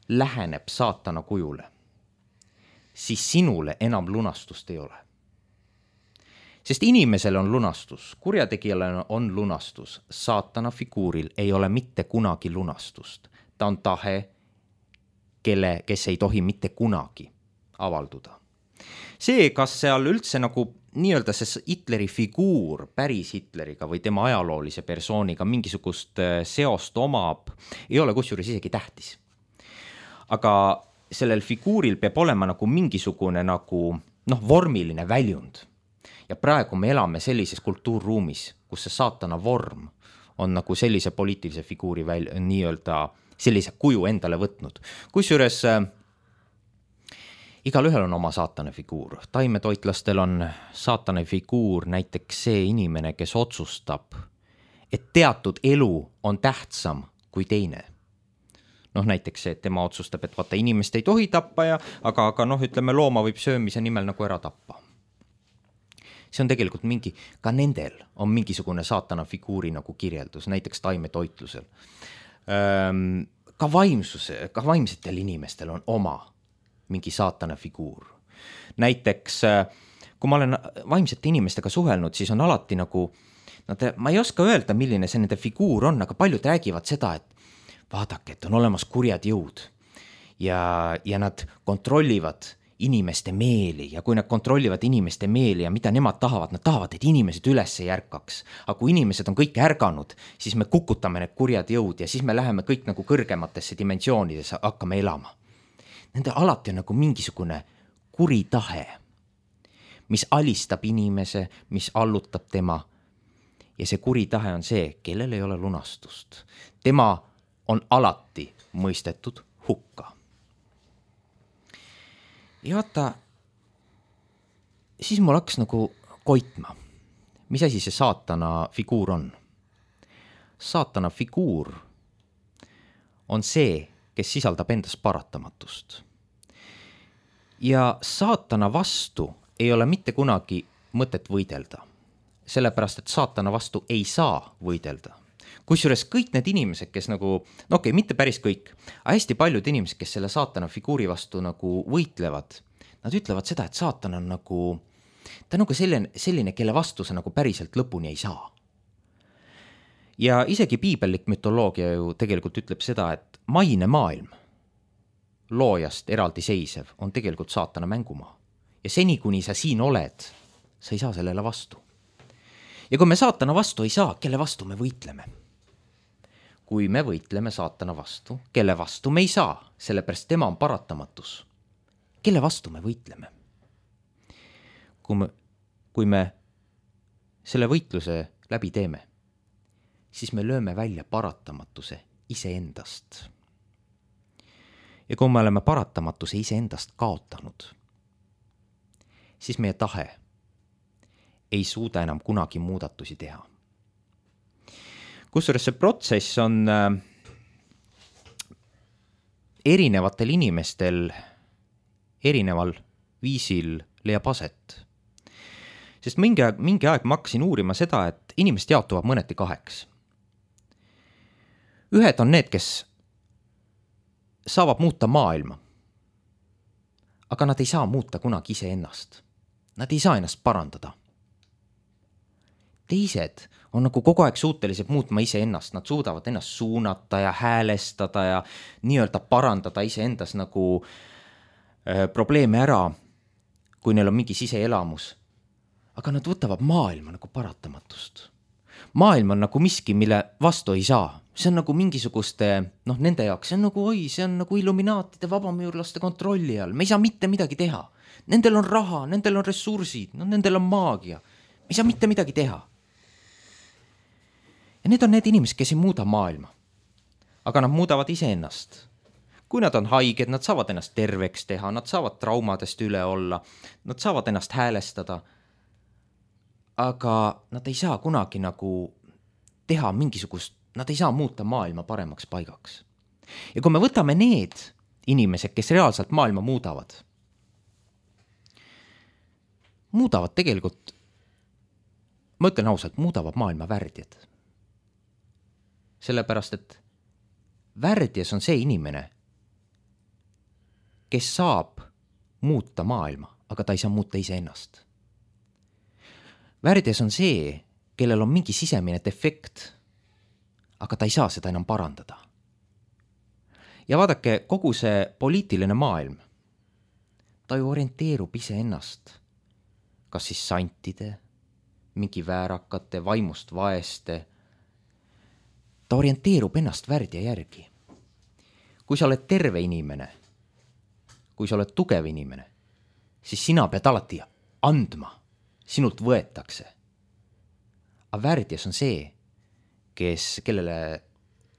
läheneb saatana kujule, siis sinule enam lunastust ei ole. Sest inimesel on lunastus, kurjategijale on lunastus, saatana figuuril ei ole mitte kunagi lunastust. Ta on tahe, kes ei tohi mitte kunagi avalduda. See, kas seal üldse nagu nii-öelda see Hitleri figuur päris Hitleriga või tema ajaloolise persooniga mingisugust seost omab, ei ole kusjuures isegi tähtis. Aga sellel figuuril peab olema nagu mingisugune nagu, vormiline väljund. Ja praegu me elame sellises kultuurruumis, kus see saatana vorm on nagu sellise poliitilise figuuri nii-öelda sellise kuju endale võtnud. Kusjuures igal ühel on oma saatana figuur. Taimetoitlastel on saatana figuur näiteks see inimene, kes otsustab, et teatud elu on tähtsam kui teine. Näiteks see, et tema otsustab, et vaata, inimest ei tohi tappa, aga ütleme, looma võib söömise nimel nagu ära tappa. See on tegelikult ka nendel on mingisugune saatana figuuri nagu kirjeldus, näiteks taimetoitlusel. Ka vaimsetel inimestel on oma mingi saatana figuur. Näiteks, kui ma olen vaimsete inimestega suhelnud, siis on alati nagu, ma ei oska öelda, milline see nende figuur on, aga paljud räägivad seda, et vaadake, et on olemas kurjad jõud ja nad kontrollivad inimeste meeli ja kui nad kontrollivad inimeste meeli ja mida nemad tahavad, et inimesed üles ei ärkaks. Aga kui inimesed on kõik ärganud, siis me kukutame need kurjad jõud ja siis me läheme kõik nagu kõrgematesse dimensioonidesse, hakkame elama. Nende alati on nagu mingisugune kuri tahe, mis alistab inimese, mis allutab tema. Ja see kuri tahe on see, kellel ei ole lunastust. Tema on alati mõistetud hukka. Ja vaata, siis mul hakkas nagu koitma. Mis asi see saatana figuur on? Saatana figuur on see, kes sisaldab endas paratamatust. Ja saatana vastu ei ole mitte kunagi mõtet võidelda. Sellepärast, et saatana vastu ei saa võidelda. Kusjuures kõik need inimesed, kes nagu, no okei, mitte päris kõik, aga hästi paljud inimesed, kes selle saatana figuuri vastu nagu võitlevad, nad ütlevad seda, et saatan on nagu, ta on nagu selline, kelle vastu sa nagu päriselt lõpuni ei saa. Ja isegi piibellik mütoloogia ju tegelikult ütleb seda, et maine maailm, loojast eraldi seisev, on tegelikult saatana mängumaa. Ja seni, kuni sa siin oled, sa ei saa sellele vastu. Ja kui me saatana vastu ei saa, kelle vastu me võitleme? Kui me võitleme saatana vastu, kelle vastu me ei saa, sellepärast tema on paratamatus. Kelle vastu me võitleme? Kui me selle võitluse läbi teeme, siis me lööme välja paratamatuse iseendast. Ja kui me oleme paratamatuse iseendast kaotanud, siis meie tahe ei suuda enam kunagi muudatusi teha. Kusjuures see protsess on erinevatel inimestel erineval viisil leiab aset. Sest mingi aeg ma hakkasin uurima seda, et inimesed jaotuvad mõneti kaheks. Ühed on need, kes saavad muuta maailma, aga nad ei saa muuta kunagi iseennast. Nad ei saa ennast parandada. Teised on nagu kogu aeg suutelised muutma iseennast. Nad suudavad ennast suunata ja häälestada ja nii-öelda parandada iseendas nagu probleeme ära, kui neil on mingi siseelamus. Aga nad võtavad maailma nagu paratamatust. Maailm on nagu miski, mille vastu ei saa. See on nagu mingisuguste, nende jaoks, see on nagu illuminaatide vabamüürlaste kontrolli all. Me ei saa mitte midagi teha. Nendel on raha, nendel on ressursid, nendel on maagia. Me ei saa mitte midagi teha. Ja need on need inimesed, kes ei muuda maailma. Aga nad muudavad iseennast. Kui nad on haiged, nad saavad ennast terveks teha, nad saavad traumadest üle olla, nad saavad ennast häälestada. Aga nad ei saa kunagi nagu teha mingisugust, nad ei saa muuta maailma paremaks paigaks. Ja kui me võtame need inimesed, kes reaalselt maailma muudavad tegelikult, ma ütlen ausalt, muudavad maailma värdjad. Sellepärast, et värdjas on see inimene, kes saab muuta maailma, aga ta ei saa muuta iseennast. Värdjas on see, kellel on mingi sisemine defekt, aga ta ei saa seda enam parandada. Ja vaadake, kogu see poliitiline maailm, ta ju orienteerub iseennast, kas siis santide, mingi väärakate, vaimust vaeste. Ta orienteerub ennast värdja järgi. Kui sa oled terve inimene, kui sa oled tugev inimene, siis sina pead alati andma. Sinult võetakse. Aga värdjas on see, kellele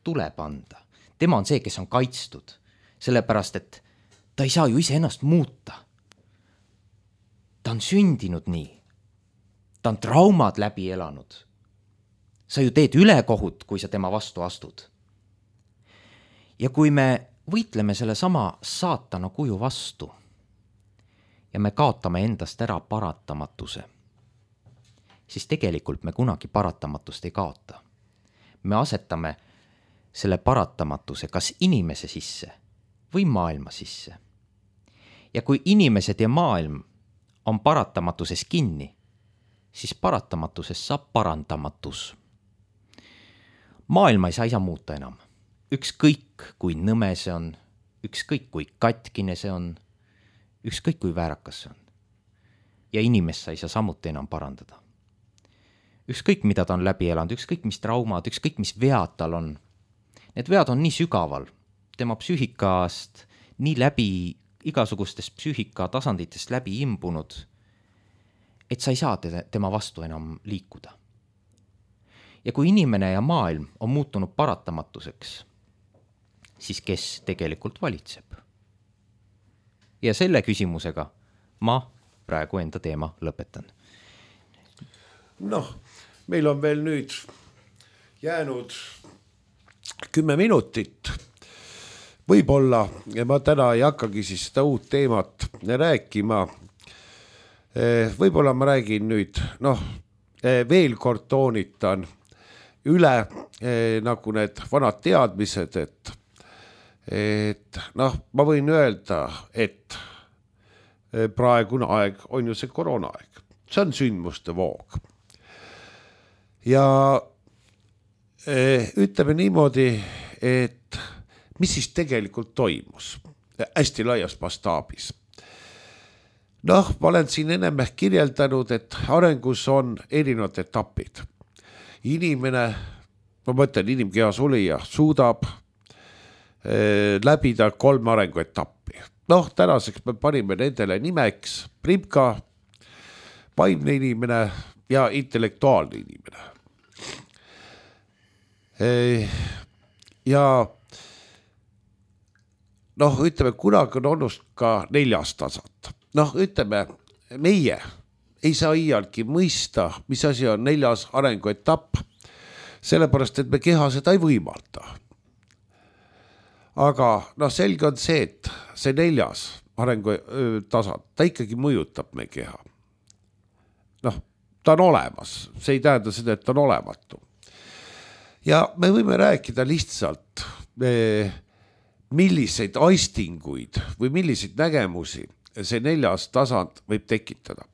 tuleb anda. Tema on see, kes on kaitstud. Sellepärast, et ta ei saa ju iseennast muuta. Ta on sündinud nii. Ta on traumad läbi elanud. Sa ju teed ülekohut, kui sa tema vastu astud. Ja kui me võitleme selle sama saatana kuju vastu ja me kaotame endast ära paratamatuse, siis tegelikult me kunagi paratamatust ei kaota. Me asetame selle paratamatuse kas inimese sisse või maailma sisse. Ja kui inimesed ja maailm on paratamatuses kinni, siis paratamatuses saab parandamatus. Maailma ei saa muuta enam. Ükskõik kui nõme see on, ükskõik kui katkine see on, ükskõik kui väärakas see on. Ja inimest sa ei saa samuti enam parandada. Ükskõik mida ta on läbi elanud, ükskõik mis traumad, ükskõik mis vead tal on. Need vead on nii sügaval, tema psüühikast nii läbi igasugustest psüühika tasanditest läbi imbunud, et sa ei saa tema vastu enam liikuda. Ja kui inimene ja maailm on muutunud paratamatuseks, siis kes tegelikult valitseb? Ja selle küsimusega ma praegu enda teema lõpetan. Noh, meil on veel nüüd jäänud 10 minutit. Võib-olla, ja ma täna ei hakkagi siis seda uut teemat rääkima. Võib-olla ma räägin nüüd, veel kord toonitan üle nagu need vanad teadmised, et ma võin öelda, et praegune aeg on ju see koroonaaeg. See on sündmuste voog. Ja ütleme niimoodi, et mis siis tegelikult toimus hästi laias mastaabis. Ma olen siin ennem kirjeldanud, et arengus on erinevad etapid. Inimene, ma mõtlen inimkehas olija, suudab läbida 3 arenguetappi. Tänaseks me panime nendele nimeks primka, vaimne inimene ja intellektuaalne inimene. Ja ütleme, kunagi on olnud ka 4. tasand. Ütleme, meie ei saa iialgi mõista, mis asi on 4. arenguetapp, sellepärast, et me keha seda ei võimalda. Aga selge on see, et see 4. arengutasand, ta ikkagi mõjutab meie keha. Ta on olemas, see ei tähenda seda, et ta on olematu. Ja me võime rääkida lihtsalt, milliseid aistinguid või milliseid nägemusi see 4. tasand võib tekitada.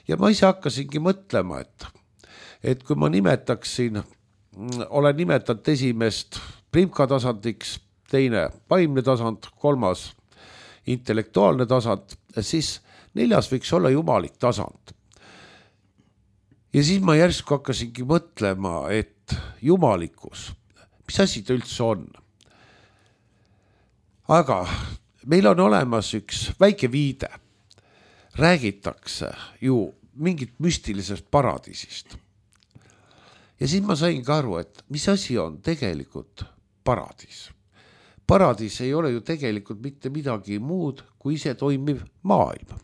Ja ma ise hakkasingi mõtlema, et kui ma olen nimetanud esimest primka tasandiks, teine vaimne tasand, 3. intellektuaalne tasand, siis 4. võiks olla jumalik tasand. Ja siis ma järsku hakkasingi mõtlema, et jumalikkus, mis asi ta üldse on? Aga meil on olemas üks väike viide. Räägitakse ju mingit müstilisest paradiisist. Ja siis ma sain ka aru, et mis asi on tegelikult paradiis. Paradiis ei ole ju tegelikult mitte midagi muud kui ise toimiv maailm.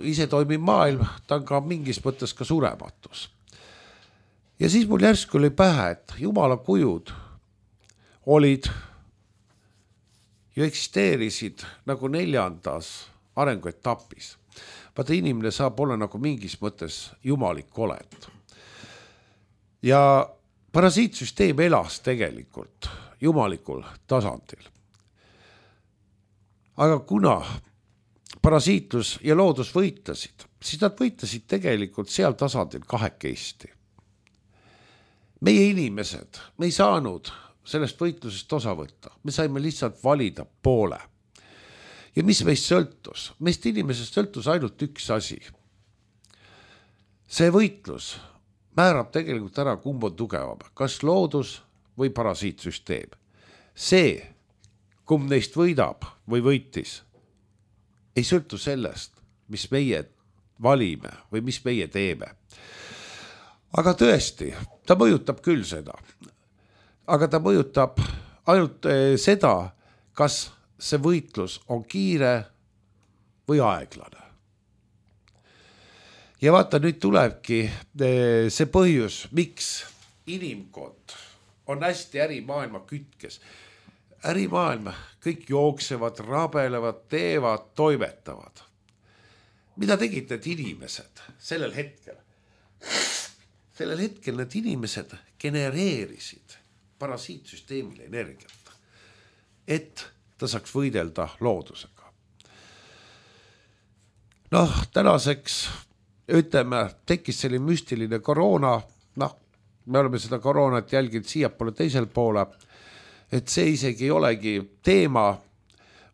Ise toimiv maailm, ta on ka mingis mõttes ka surematus. Ja siis mul järsku oli pähe, et jumala kujud olid ju eksisteerisid nagu 4. arenguetapis. Vaata, inimene saab olla nagu mingis mõttes jumalik olend. Ja parasiitsüsteem elas tegelikult jumalikul tasandil. Aga kuna parasiitlus ja loodus võitlesid, siis nad võitlesid tegelikult seal tasandil kahekesti. Meie inimesed, me ei saanud sellest võitlusest osa võtta. Me saime lihtsalt valida poole. Ja mis meist sõltus? Meist inimesest sõltus ainult üks asi. See võitlus määrab tegelikult ära, kumb on tugevam. Kas loodus või parasiitsüsteem. See, kumb neist võidab või võitis, ei sõltu sellest, mis meie valime või mis meie teeme. Aga tõesti, ta mõjutab küll seda. Aga ta mõjutab ainult seda, kas see võitlus on kiire või aeglane. Ja vaata, nüüd tulebki see põhjus, miks inimkond on hästi ärimaailma kütkes. Ärimaailma kõik jooksevad, rabelevad, teevad, toimetavad. Mida tegid need inimesed sellel hetkel? Sellel hetkel need inimesed genereerisid parasiitsüsteemile energiat, et ta saaks võidelda loodusega. Tänaseks, ütleme, tekkis selline müstiline koroona, me oleme seda koroonat jälginud siiapoole teisel poole, et see isegi ei olegi teema,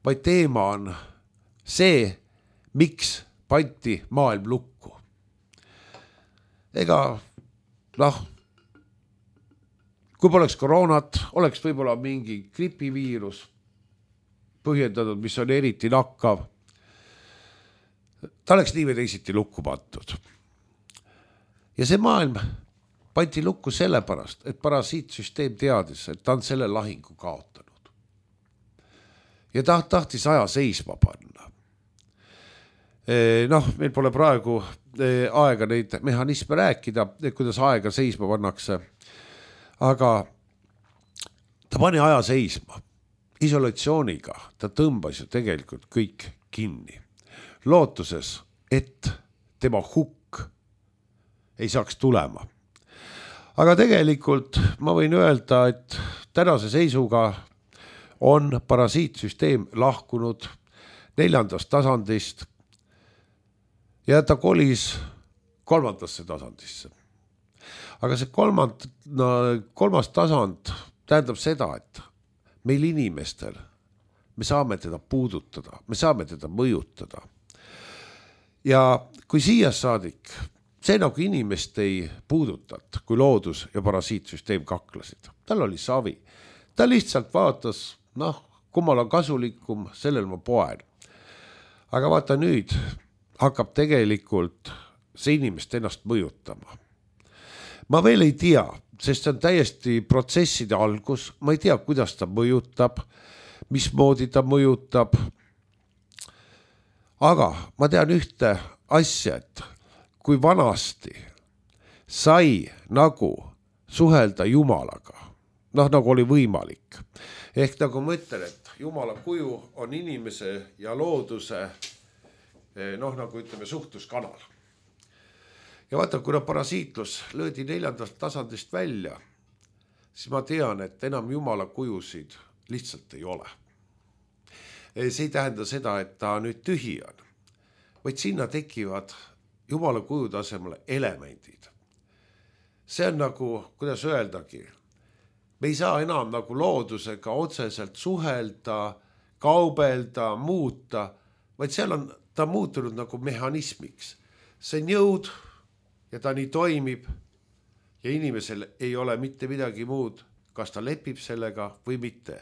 vaid teema on see, miks pandi maailm lukku. Ega kui poleks koroonat, oleks võib-olla mingi gripiviirus põhjendatud, mis on eriti nakkav. Ta oleks nii või teisiti lukku pandud. Ja see maailm pandi lukku sellepärast, et parasiitsüsteem teadis, et ta on selle lahingu kaotanud. Ja ta tahtis aja seisma panna. Meil pole praegu aega neid mehhanisme rääkida, kuidas aega seisma pannakse. Aga ta pani aja seisma. Isolatsiooniga ta tõmbas ju tegelikult kõik kinni. Lootuses, et tema hukk ei saaks tulema. Aga tegelikult ma võin öelda, et tänase seisuga on parasiitsüsteem lahkunud 4. tasandist ja ta kolis 3. tasandisse. Aga see 3. tasand tähendab seda, et meil inimestel me saame teda puudutada, me saame teda mõjutada. Ja kui siia saadik, see nagu inimest ei puudutat, kui loodus ja parasiitsüsteem kaklasid. Tal oli savi. Ta lihtsalt vaatas, kummal on kasulikum, sellel ma poen. Aga vaata nüüd hakkab tegelikult see inimest ennast mõjutama. Ma veel ei tea, sest see on täiesti protsesside algus. Ma ei tea, kuidas ta mõjutab, mismoodi ta mõjutab. Aga ma tean ühte asja, et kui vanasti sai nagu suhelda Jumalaga, nagu oli võimalik. Ehk nagu ma ütlen, et Jumala kuju on inimese ja looduse, nagu ütleme, suhtluskanal. Ja vaata, kuna parasiitlus löödi 4. tasandist välja, siis ma tean, et enam Jumala kujusid lihtsalt ei ole. See ei tähenda seda, et ta nüüd tühi on, vaid sinna tekivad Jumala kuju tasemele elemendid. See on nagu, kuidas öeldagi, me ei saa enam nagu loodusega otseselt suhelda, kaubelda, muuta, vaid seal on ta muutunud nagu mehhanismiks. See on jõud ja ta nii toimib ja inimesel ei ole mitte midagi muud, kas ta lepib sellega või mitte.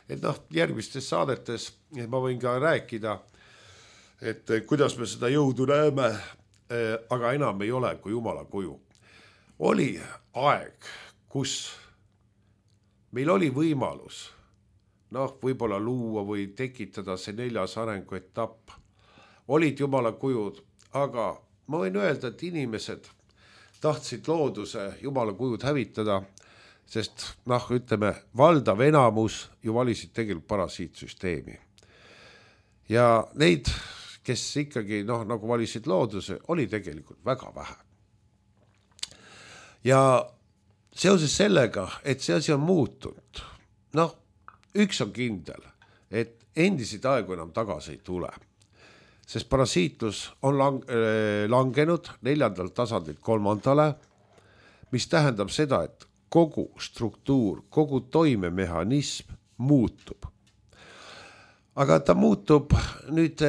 Et järgmistes saadetes ma võin ka rääkida, et kuidas me seda jõudu näeme, aga enam ei ole kui Jumala kuju. Oli aeg, kus meil oli võimalus võib-olla luua või tekitada see 4. arenguetapp. Olid Jumala kujud, aga ma võin öelda, et inimesed tahtsid looduse Jumala kujud hävitada, sest ütleme, valdav enamus ju valisid tegelikult parasiitsüsteemi. Ja neid, kes ikkagi nagu valisid looduse, oli tegelikult väga vähe. Ja seoses sellega, et see asi on muutunud, üks on kindel, et endiseid aegu enam tagasi ei tule. Sest parasiitlus on langenud 4. tasandilt 3. mis tähendab seda, et kogu struktuur, kogu toimemehhanism muutub. Aga ta muutub nüüd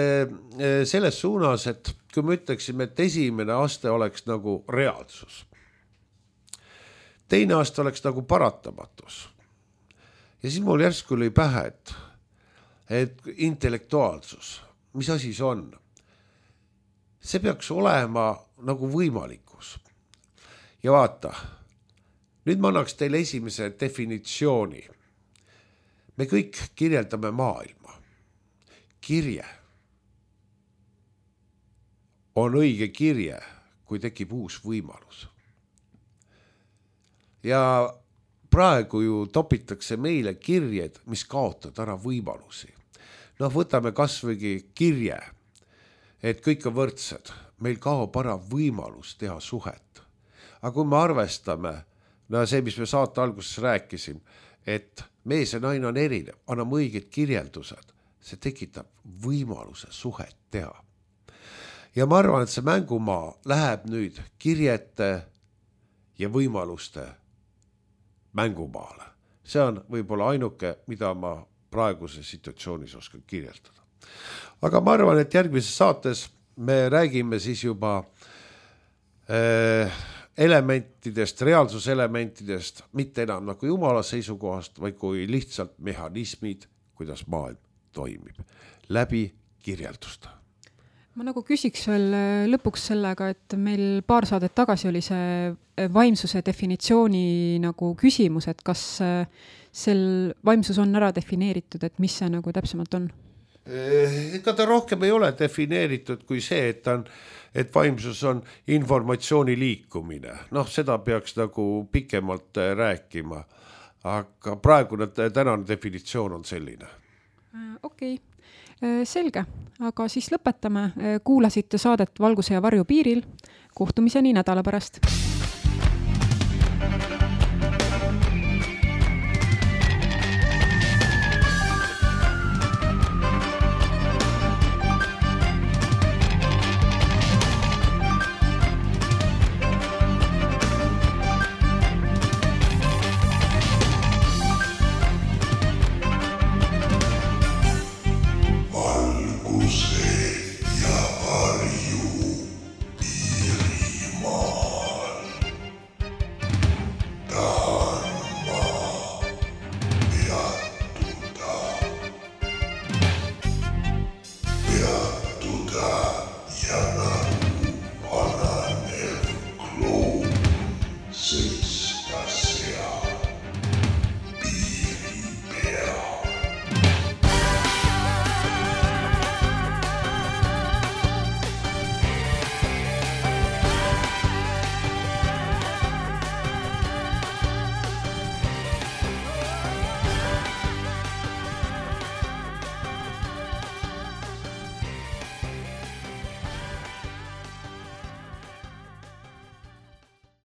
selles suunas, et kui me ütleksime, et esimene aste oleks nagu reaalsus. Teine aste oleks nagu paratamatus. Ja siis mul järsku oli pähe, et intellektuaalsus, mis asi see on? See peaks olema nagu võimalikkus. Ja vaata, nüüd ma annaks teile esimese definitsiooni. Me kõik kirjeldame maailma. Kirje on õige kirje, kui tekib uus võimalus. Ja praegu ju topitakse meile kirjed, mis kaotavad ära võimalusi. Võtame kasvõigi kirje, et kõik on võrdsed. Meil kaob ära võimalus teha suhet. Aga kui me arvestame, see, mis me saate alguses rääkisim, et mees ja naine on erinev, anname õiged kirjeldused, see tekitab võimaluse suhet teha. Ja ma arvan, et see mängumaa läheb nüüd kirjete ja võimaluste mängumaale. See on võib-olla ainuke, mida ma praeguse situatsioonis oskan kirjeldada. Aga ma arvan, et järgmises saates me räägime siis juba elementidest, reaalsuselementidest, mitte enam nagu Jumala seisukohast, vaid kui lihtsalt mehhanismid, kuidas maailm toimib, läbi kirjeldusta. Ma nagu küsiks veel lõpuks sellega, et meil paar saadet tagasi oli see vaimsuse definitsiooni nagu küsimus, et kas sel vaimsus on ära defineeritud, et mis see nagu täpsemalt on? Ega ta rohkem ei ole defineeritud kui see, et vaimsus on informatsiooni liikumine. Noh, seda peaks nagu pikemalt rääkima, aga praegune tänane definitsioon on selline. Okei. Selge, aga siis lõpetame. Kuulasite saadet Valguse ja varju piiril. Kohtumiseni nädala pärast.